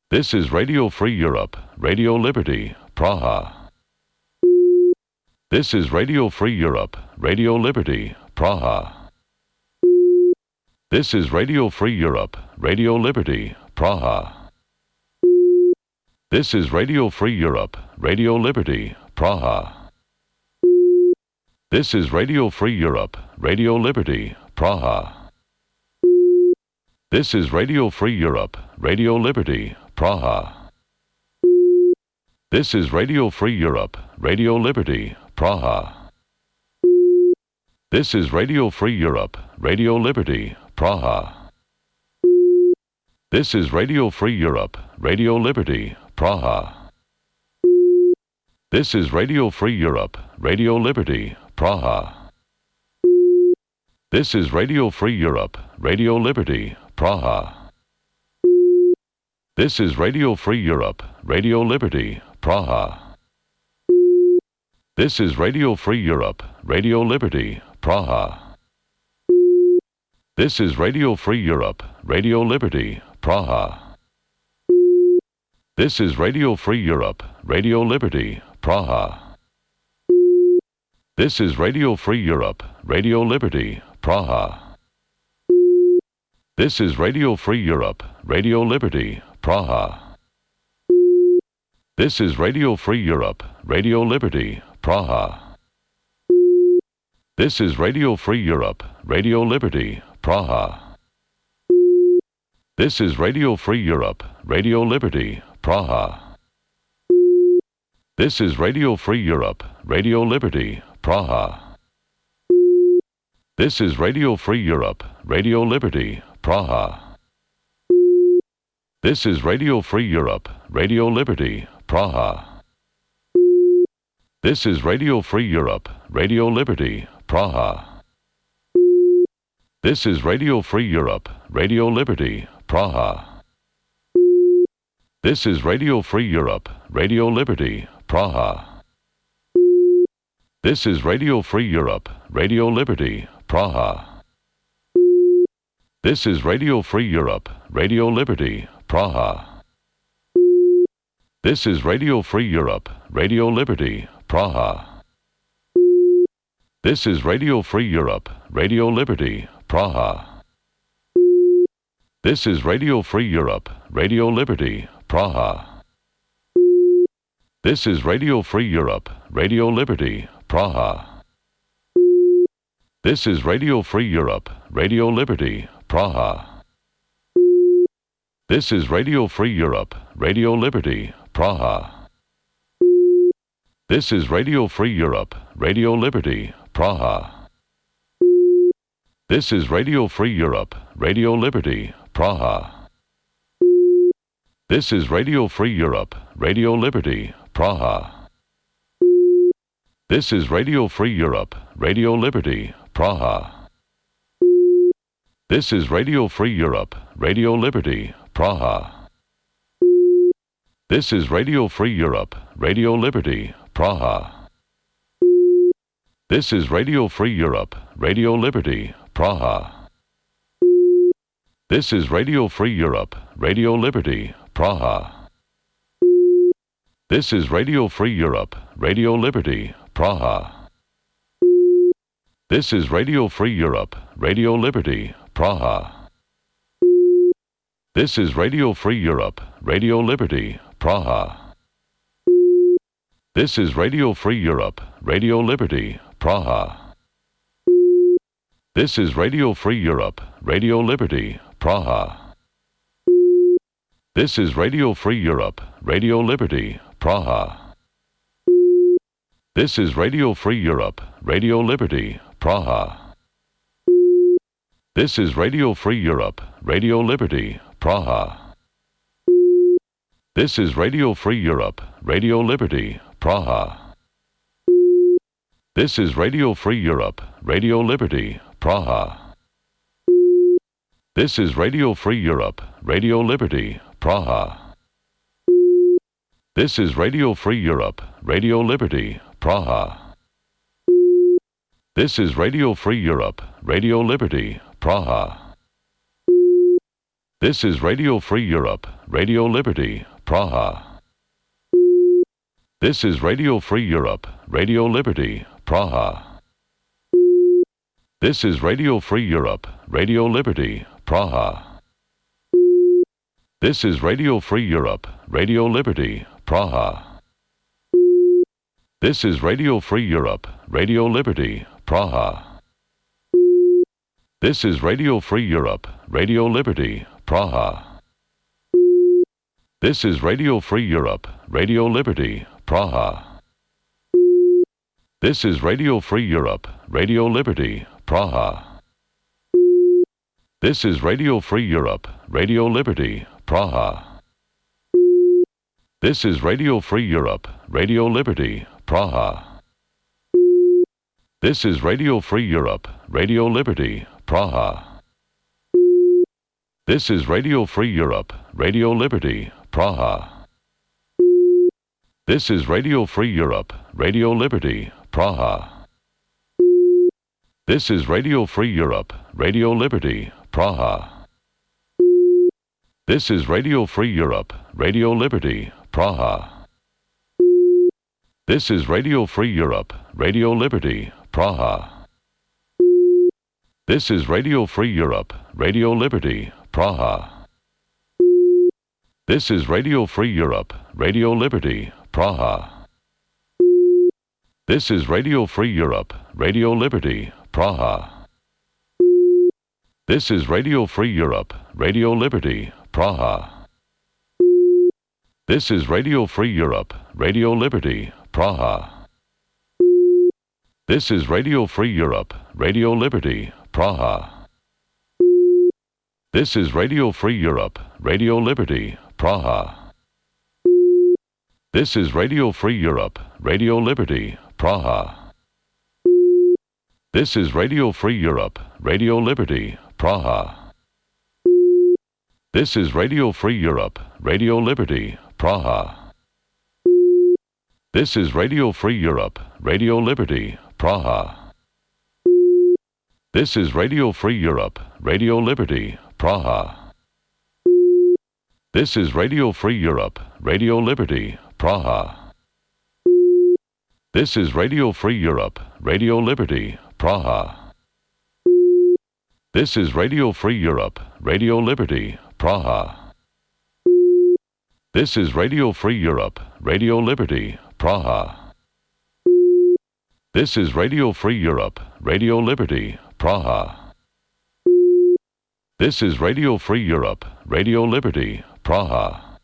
S4: This is Radio Free Europe, Radio Liberty, Praha. This is Radio Free Europe, Radio Liberty, Praha. This is Radio Free Europe, Radio Liberty, Praha. This is Radio Free Europe, Radio Liberty, Praha. This is Radio Free Europe, Radio Liberty, Praha. This is Radio Free Europe, Radio Liberty, Praha. This is Radio Free Europe, Radio Liberty, Praha. This is Radio Free Europe, Radio Liberty, Praha. This is Radio Free Europe, Radio Liberty, Praha. This is Radio Free Europe, Radio Liberty, Praha. This is Radio Free Europe, Radio Liberty, Praha. This is Radio Free Europe, Radio Liberty, Praha. This is Radio Free Europe, Radio Liberty, Praha. This is Radio Free Europe, Radio Liberty, Praha. This is Radio Free Europe, Radio Liberty, Praha. This is Radio Free Europe, Radio Liberty, Praha. This is Radio Free Europe, Radio Liberty, Praha. This is Radio Free Europe, Radio Liberty, Praha. This is Radio Free Europe, Radio Liberty, Praha. This is Radio Free Europe, Radio Liberty, Praha. This is Radio Free Europe, Radio Liberty, Praha. This is Radio Free Europe, Radio Liberty, Praha. This is Radio Free Europe, Radio Liberty, Praha. This is Radio Free Europe, Radio Liberty, Praha. This is Radio Free Europe, Radio Liberty, Praha. This is Radio Free Europe, Radio Liberty, Praha. This is Radio Free Europe, Radio Liberty, Praha. This is Radio Free Europe, Radio Liberty, Praha. This is Radio Free Europe, Radio Liberty, Praha. This is Radio Free Europe, Radio Liberty, Praha. This is Radio Free Europe, Radio Liberty, Praha. This is Radio Free Europe, Radio Liberty, Praha. This is Radio Free Europe, Radio Liberty, Praha. This is Radio Free Europe, Radio Liberty, Praha. This is Radio Free Europe, Radio Liberty, Praha. This is Radio Free Europe, Radio Liberty, Praha. This is Radio Free Europe, Radio Liberty, Praha. This is Radio Free Europe, Radio Liberty, Praha. This is Radio Free Europe, Radio Liberty, Praha. This is Radio Free Europe, Radio Liberty, Praha. This is Radio Free Europe, Radio Liberty, Praha. This is Radio Free Europe, Radio Liberty, Praha. This is Radio Free Europe, Radio Liberty, Praha. This is Radio Free Europe, Radio Liberty, Praha. This is Radio Free Europe, Radio Liberty, Praha. This is Radio Free Europe, Radio Liberty, Praha. This is Radio Free Europe, Radio Liberty, Praha. This is Radio Free Europe, Radio Liberty, Praha. This is Radio Free Europe, Radio Liberty, Praha. This is Radio Free Europe, Radio Liberty, Praha. This is Radio Free Europe, Radio Liberty, Praha. This is Radio Free Europe, Radio Liberty, Praha. This is Radio Free Europe, Radio Liberty, Praha. This is Radio Free Europe, Radio Liberty, Praha. This is Radio Free Europe, Radio Liberty, Praha. This is Radio Free Europe, Radio Liberty, Praha. This is Radio Free Europe, Radio Liberty, Praha. This is Radio Free Europe, Radio Liberty, Praha. This is Radio Free Europe, Radio Liberty, Praha. This is Radio Free Europe, Radio Liberty, Praha. This is Radio Free Europe, Radio Liberty, Praha. This is Radio Free Europe, Radio Liberty, Praha. This is Radio Free Europe, Radio Liberty, Praha. This is Radio Free Europe, Radio Liberty, Praha. This is Radio Free Europe, Radio Liberty, Praha. This is Radio Free Europe, Radio Liberty, Praha. This is Radio Free Europe, Radio Liberty, Praha. This is Radio Free Europe, Radio Liberty, Praha. This is Radio Free Europe, Radio Liberty, Praha. This is Radio Free Europe, Radio Liberty, Praha. This is Radio Free Europe, Radio Liberty, Praha. This is Radio Free Europe, Radio Liberty, Praha. This is Radio Free Europe, Radio Liberty, Praha. This is Radio Free Europe, Radio Liberty, Praha. This is Radio Free Europe, Radio Liberty, Praha. This is Radio Free Europe, Radio Liberty, Praha. This is Radio Free Europe, Radio Liberty, Praha. This is Radio Free Europe, Radio Liberty, Praha. This is Radio Free Europe, Radio Liberty, Praha. This is Radio Free Europe, Radio Liberty, Praha. This is Radio Free Europe, Radio Liberty, Praha. This is Radio Free Europe, Radio Liberty, Praha. This is Radio Free Europe, Radio Liberty, Praha. This is Radio Free Europe, Radio Liberty, Praha. This is Radio Free Europe, Radio Liberty, Praha. This is Radio Free Europe, Radio Liberty, Praha. This is Radio Free Europe, Radio Liberty, Praha. This is Radio Free Europe, Radio Liberty, Praha. This is Radio Free Europe, Radio Liberty, Praha.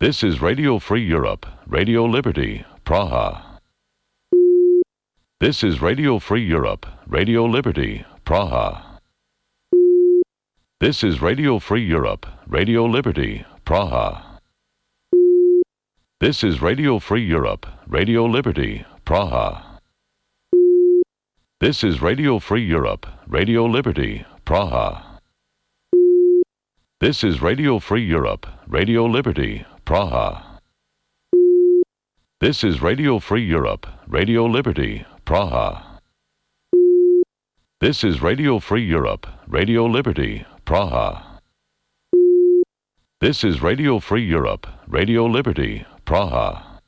S4: This is Radio Free Europe, Radio Liberty, Praha. This is Radio Free Europe, Radio Liberty, Praha. This is Radio Free Europe, Radio Liberty, Praha. This is Radio Free Europe, Radio Liberty, Praha. This is Radio Free Europe, Radio Liberty, Praha. This is Radio Free Europe, Radio Liberty, Praha. This is Radio Free Europe, Radio Liberty, Praha. This is Radio Free Europe, Radio Liberty, Praha. This is Radio Free Europe, Radio Liberty, Praha.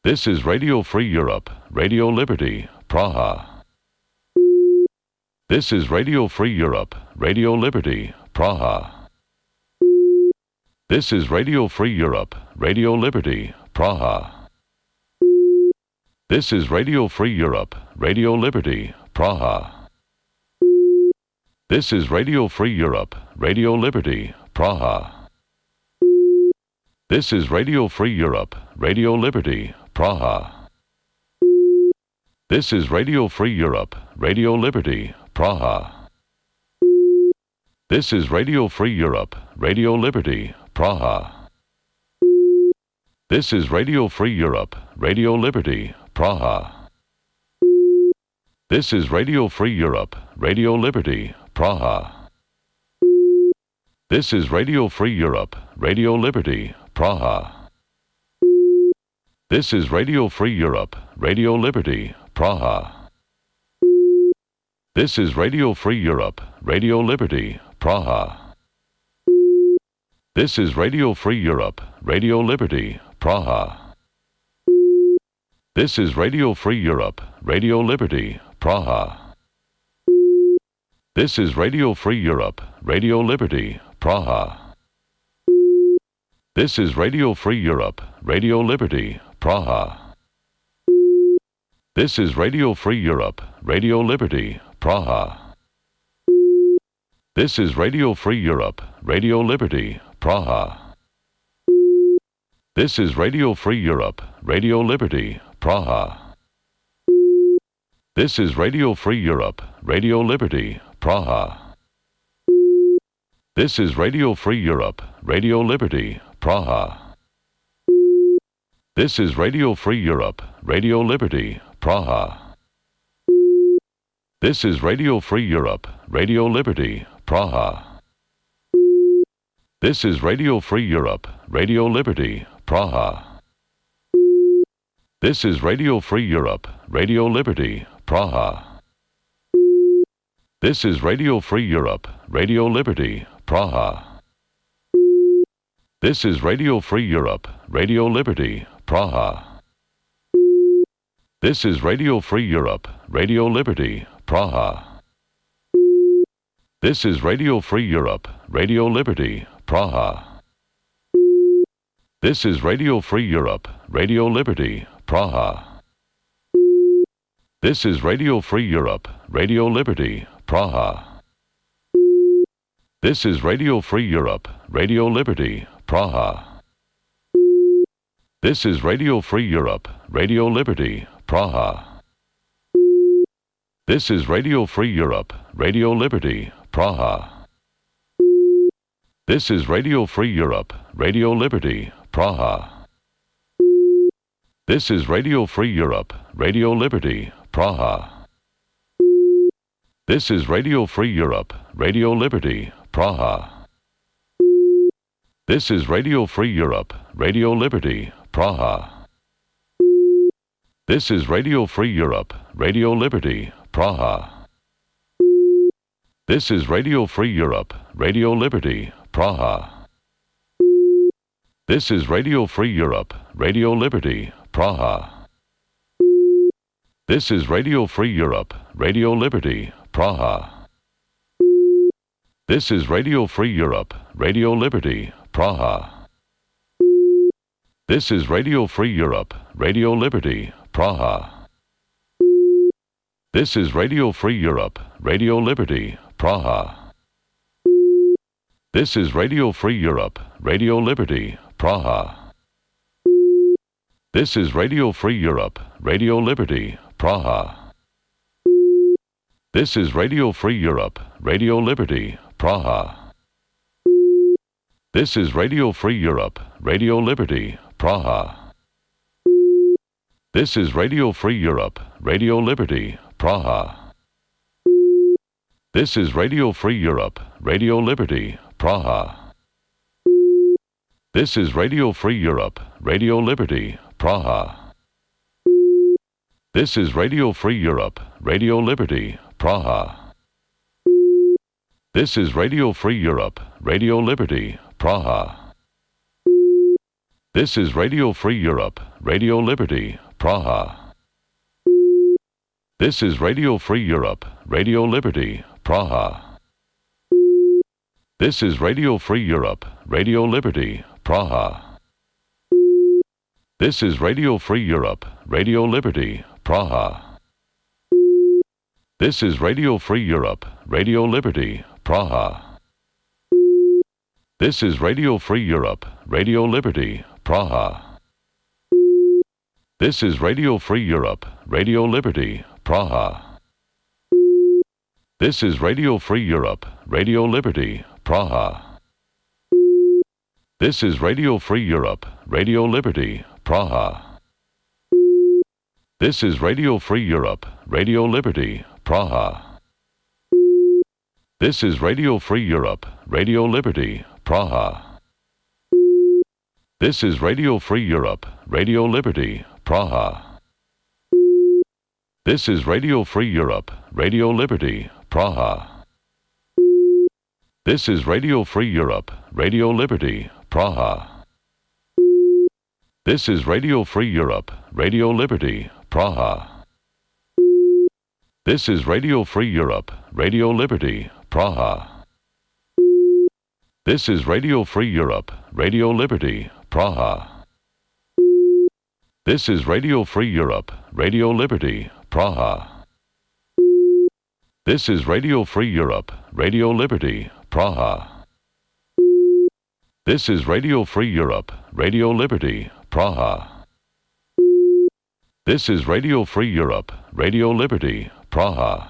S4: This is Radio Free Europe, Radio Liberty, Praha. This is Radio Free Europe, Radio Liberty, Praha. This is Radio Free Europe, Radio Liberty, Praha. This is Radio Free Europe, Radio Liberty, Praha. This is Radio Free Europe, Radio Liberty, Praha. This is Radio Free Europe, Radio Liberty, Praha. This is Radio Free Europe, Radio Liberty, Praha. This is Radio Free Europe, Radio Liberty, Praha. This is Radio Free Europe, Radio Liberty, Praha. This is Radio Free Europe, Radio Liberty, Praha. This is Radio Free Europe, Radio Liberty, Praha. This is Radio Free Europe, Radio Liberty, Praha. This is Radio Free Europe, Radio Liberty, Praha. This is Radio Free Europe, Radio Liberty, Praha. This is Radio Free Europe, Radio Liberty, Praha. This is Radio Free Europe, Radio Liberty, Praha. This is Radio Free Europe, Radio Liberty, Praha. This is Radio Free Europe, Radio Liberty, Praha. This is Radio Free Europe, Radio Liberty, Praha. This is Radio Free Europe, Radio Liberty, Praha. This is Radio Free Europe, Radio Liberty, Praha. This is Radio Free Europe, Radio Liberty, Praha. This is Radio Free Europe, Radio Liberty, Praha. This is Radio Free Europe, Radio Liberty, Praha. This is Radio Free Europe, Radio Liberty, Praha. This is Radio Free Europe, Radio Liberty, Praha. This is Radio Free Europe, Radio Liberty, Praha. This is Radio Free Europe, Radio Liberty, Praha. This is Radio Free Europe, Radio Liberty, Praha. This is Radio Free Europe, Radio Liberty, Praha. This is Radio Free Europe, Radio Liberty, Praha. This is Radio Free Europe, Radio Liberty, Praha. This is Radio Free Europe, Radio Liberty, Praha. This is Radio Free Europe, Radio Liberty, Praha. This is Radio Free Europe, Radio Liberty, Praha. This is Radio Free Europe, Radio Liberty, Praha. This is Radio Free Europe, Radio Liberty, Praha. This is Radio Free Europe, Radio Liberty, Praha. This is Radio Free Europe, Radio Liberty, Praha. This is Radio Free Europe, Radio Liberty, Praha. This is Radio Free Europe, Radio Liberty, Praha. This is Radio Free Europe, Radio Liberty, Praha. This is Radio Free Europe, Radio Liberty, Praha. This is Radio Free Europe, Radio Liberty, Praha. This is Radio Free Europe, Radio Liberty, Praha. This is Radio Free Europe, Radio Liberty, Praha. This is Radio Free Europe, Radio Liberty, Praha. This is Radio Free Europe, Radio Liberty, Praha. This is Radio Free Europe, Radio Liberty, Praha. This is Radio Free Europe, Radio Liberty, Praha. This is Radio Free Europe, Radio Liberty, Praha. This is Radio Free Europe, Radio Liberty, Praha. This is Radio Free Europe, Radio Liberty, Praha. This is Radio Free Europe, Radio Liberty, Praha. This is Radio Free Europe, Radio Liberty, Praha. This is Radio Free Europe, Radio Liberty, Praha. This is Radio Free Europe, Radio Liberty, Praha. This is Radio Free Europe, Radio Liberty, Praha. This is Radio Free Europe, Radio Liberty, Praha. This is Radio Free Europe, Radio Liberty, Praha. This is Radio Free Europe, Radio Liberty, Praha. This is Radio Free Europe, Radio Liberty, Praha. This is Radio Free Europe, Radio Liberty, Praha. This is Radio Free Europe, Radio Liberty, Praha. This is Radio Free Europe, Radio Liberty, Praha. This is Radio Free Europe, Radio Liberty, Praha. This is Radio Free Europe, Radio Liberty, Praha. This is Radio Free Europe, Radio Liberty, Praha. This is Radio Free Europe, Radio Liberty, Praha. This is Radio Free Europe, Radio Liberty, Praha. This is Radio Free Europe, Radio Liberty, Praha. This is Radio Free Europe, Radio Liberty, Praha. This is Radio Free Europe, Radio Liberty, Praha. This is Radio Free Europe, Radio Liberty, Praha. This is Radio Free Europe, Radio Liberty, Praha. This is Radio Free Europe, Radio Liberty, Praha.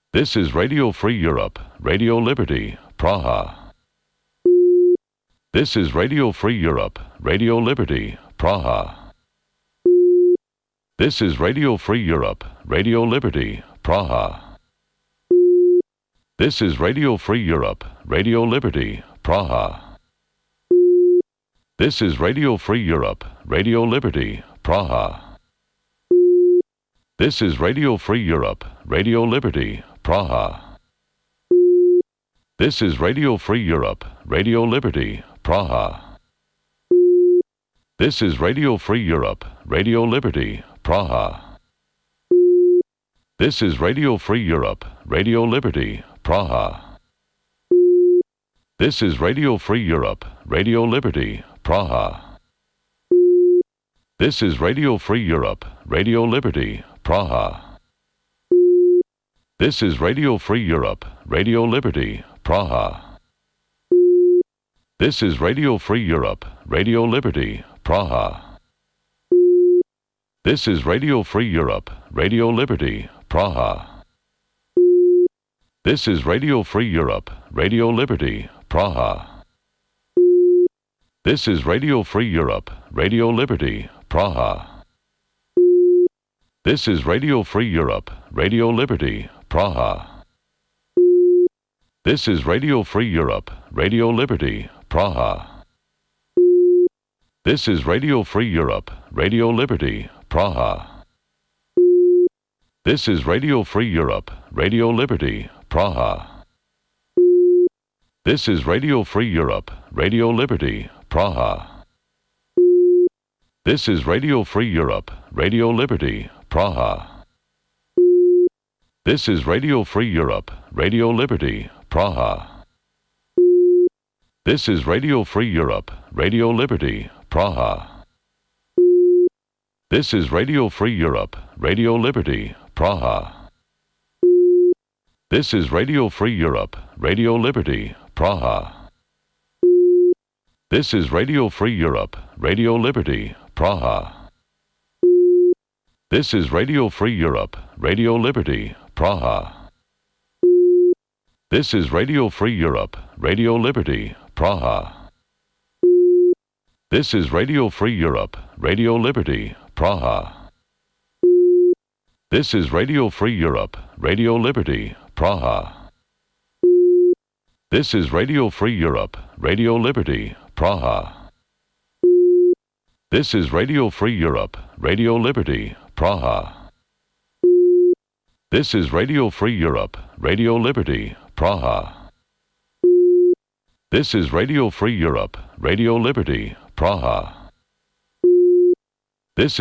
S4: This is Radio Free Europe, Radio Liberty, Praha. This is Radio Free Europe, Radio Liberty, Praha. This is Radio Free Europe, Radio Liberty, Praha. This is Radio Free Europe, Radio Liberty, Praha. This is Radio Free Europe, Radio Liberty, Praha. This is Radio Free Europe, Radio Liberty, Praha. This is Radio Free Europe, Radio Liberty, Praha. This is Radio Free Europe, Radio Liberty, Praha. This is Radio Free Europe, Radio Liberty, Praha. This is Radio Free Europe, Radio Liberty, Praha. This is Radio Free Europe, Radio Liberty, Praha. This is Radio Free Europe, Radio Liberty, Praha. This is Radio Free Europe, Radio Liberty, Praha. This is Radio Free Europe, Radio Liberty, Praha. This is Radio Free Europe, Radio Liberty, Praha. This is Radio Free Europe, Radio Liberty, Praha. This is Radio Free Europe, Radio Liberty, Praha. This is Radio Free Europe, Radio Liberty, Praha. This is Radio Free Europe, Radio Liberty, Praha. This is Radio Free Europe, Radio Liberty, Praha. This is Radio Free Europe, Radio Liberty, Praha. This is Radio Free Europe, Radio Liberty, Praha. This is Radio Free Europe, Radio Liberty, Praha. This is Radio Free Europe, Radio Liberty, Praha. This is Radio Free Europe, Radio Liberty, Praha. This is Radio Free Europe, Radio Liberty, Praha. This is Radio Free Europe, Radio Liberty, Praha. This is Radio Free Europe, Radio Liberty, Praha. This is Radio Free Europe, Radio Liberty, Praha. This is Radio Free Europe, Radio Liberty, Praha. This is Radio Free Europe, Radio Liberty, Praha. This is Radio Free Europe, Radio Liberty, Praha. This is Radio Free Europe, Radio Liberty, Praha. This is Radio Free Europe, Radio Liberty, Praha. This is Radio Free Europe, Radio Liberty, Praha. This is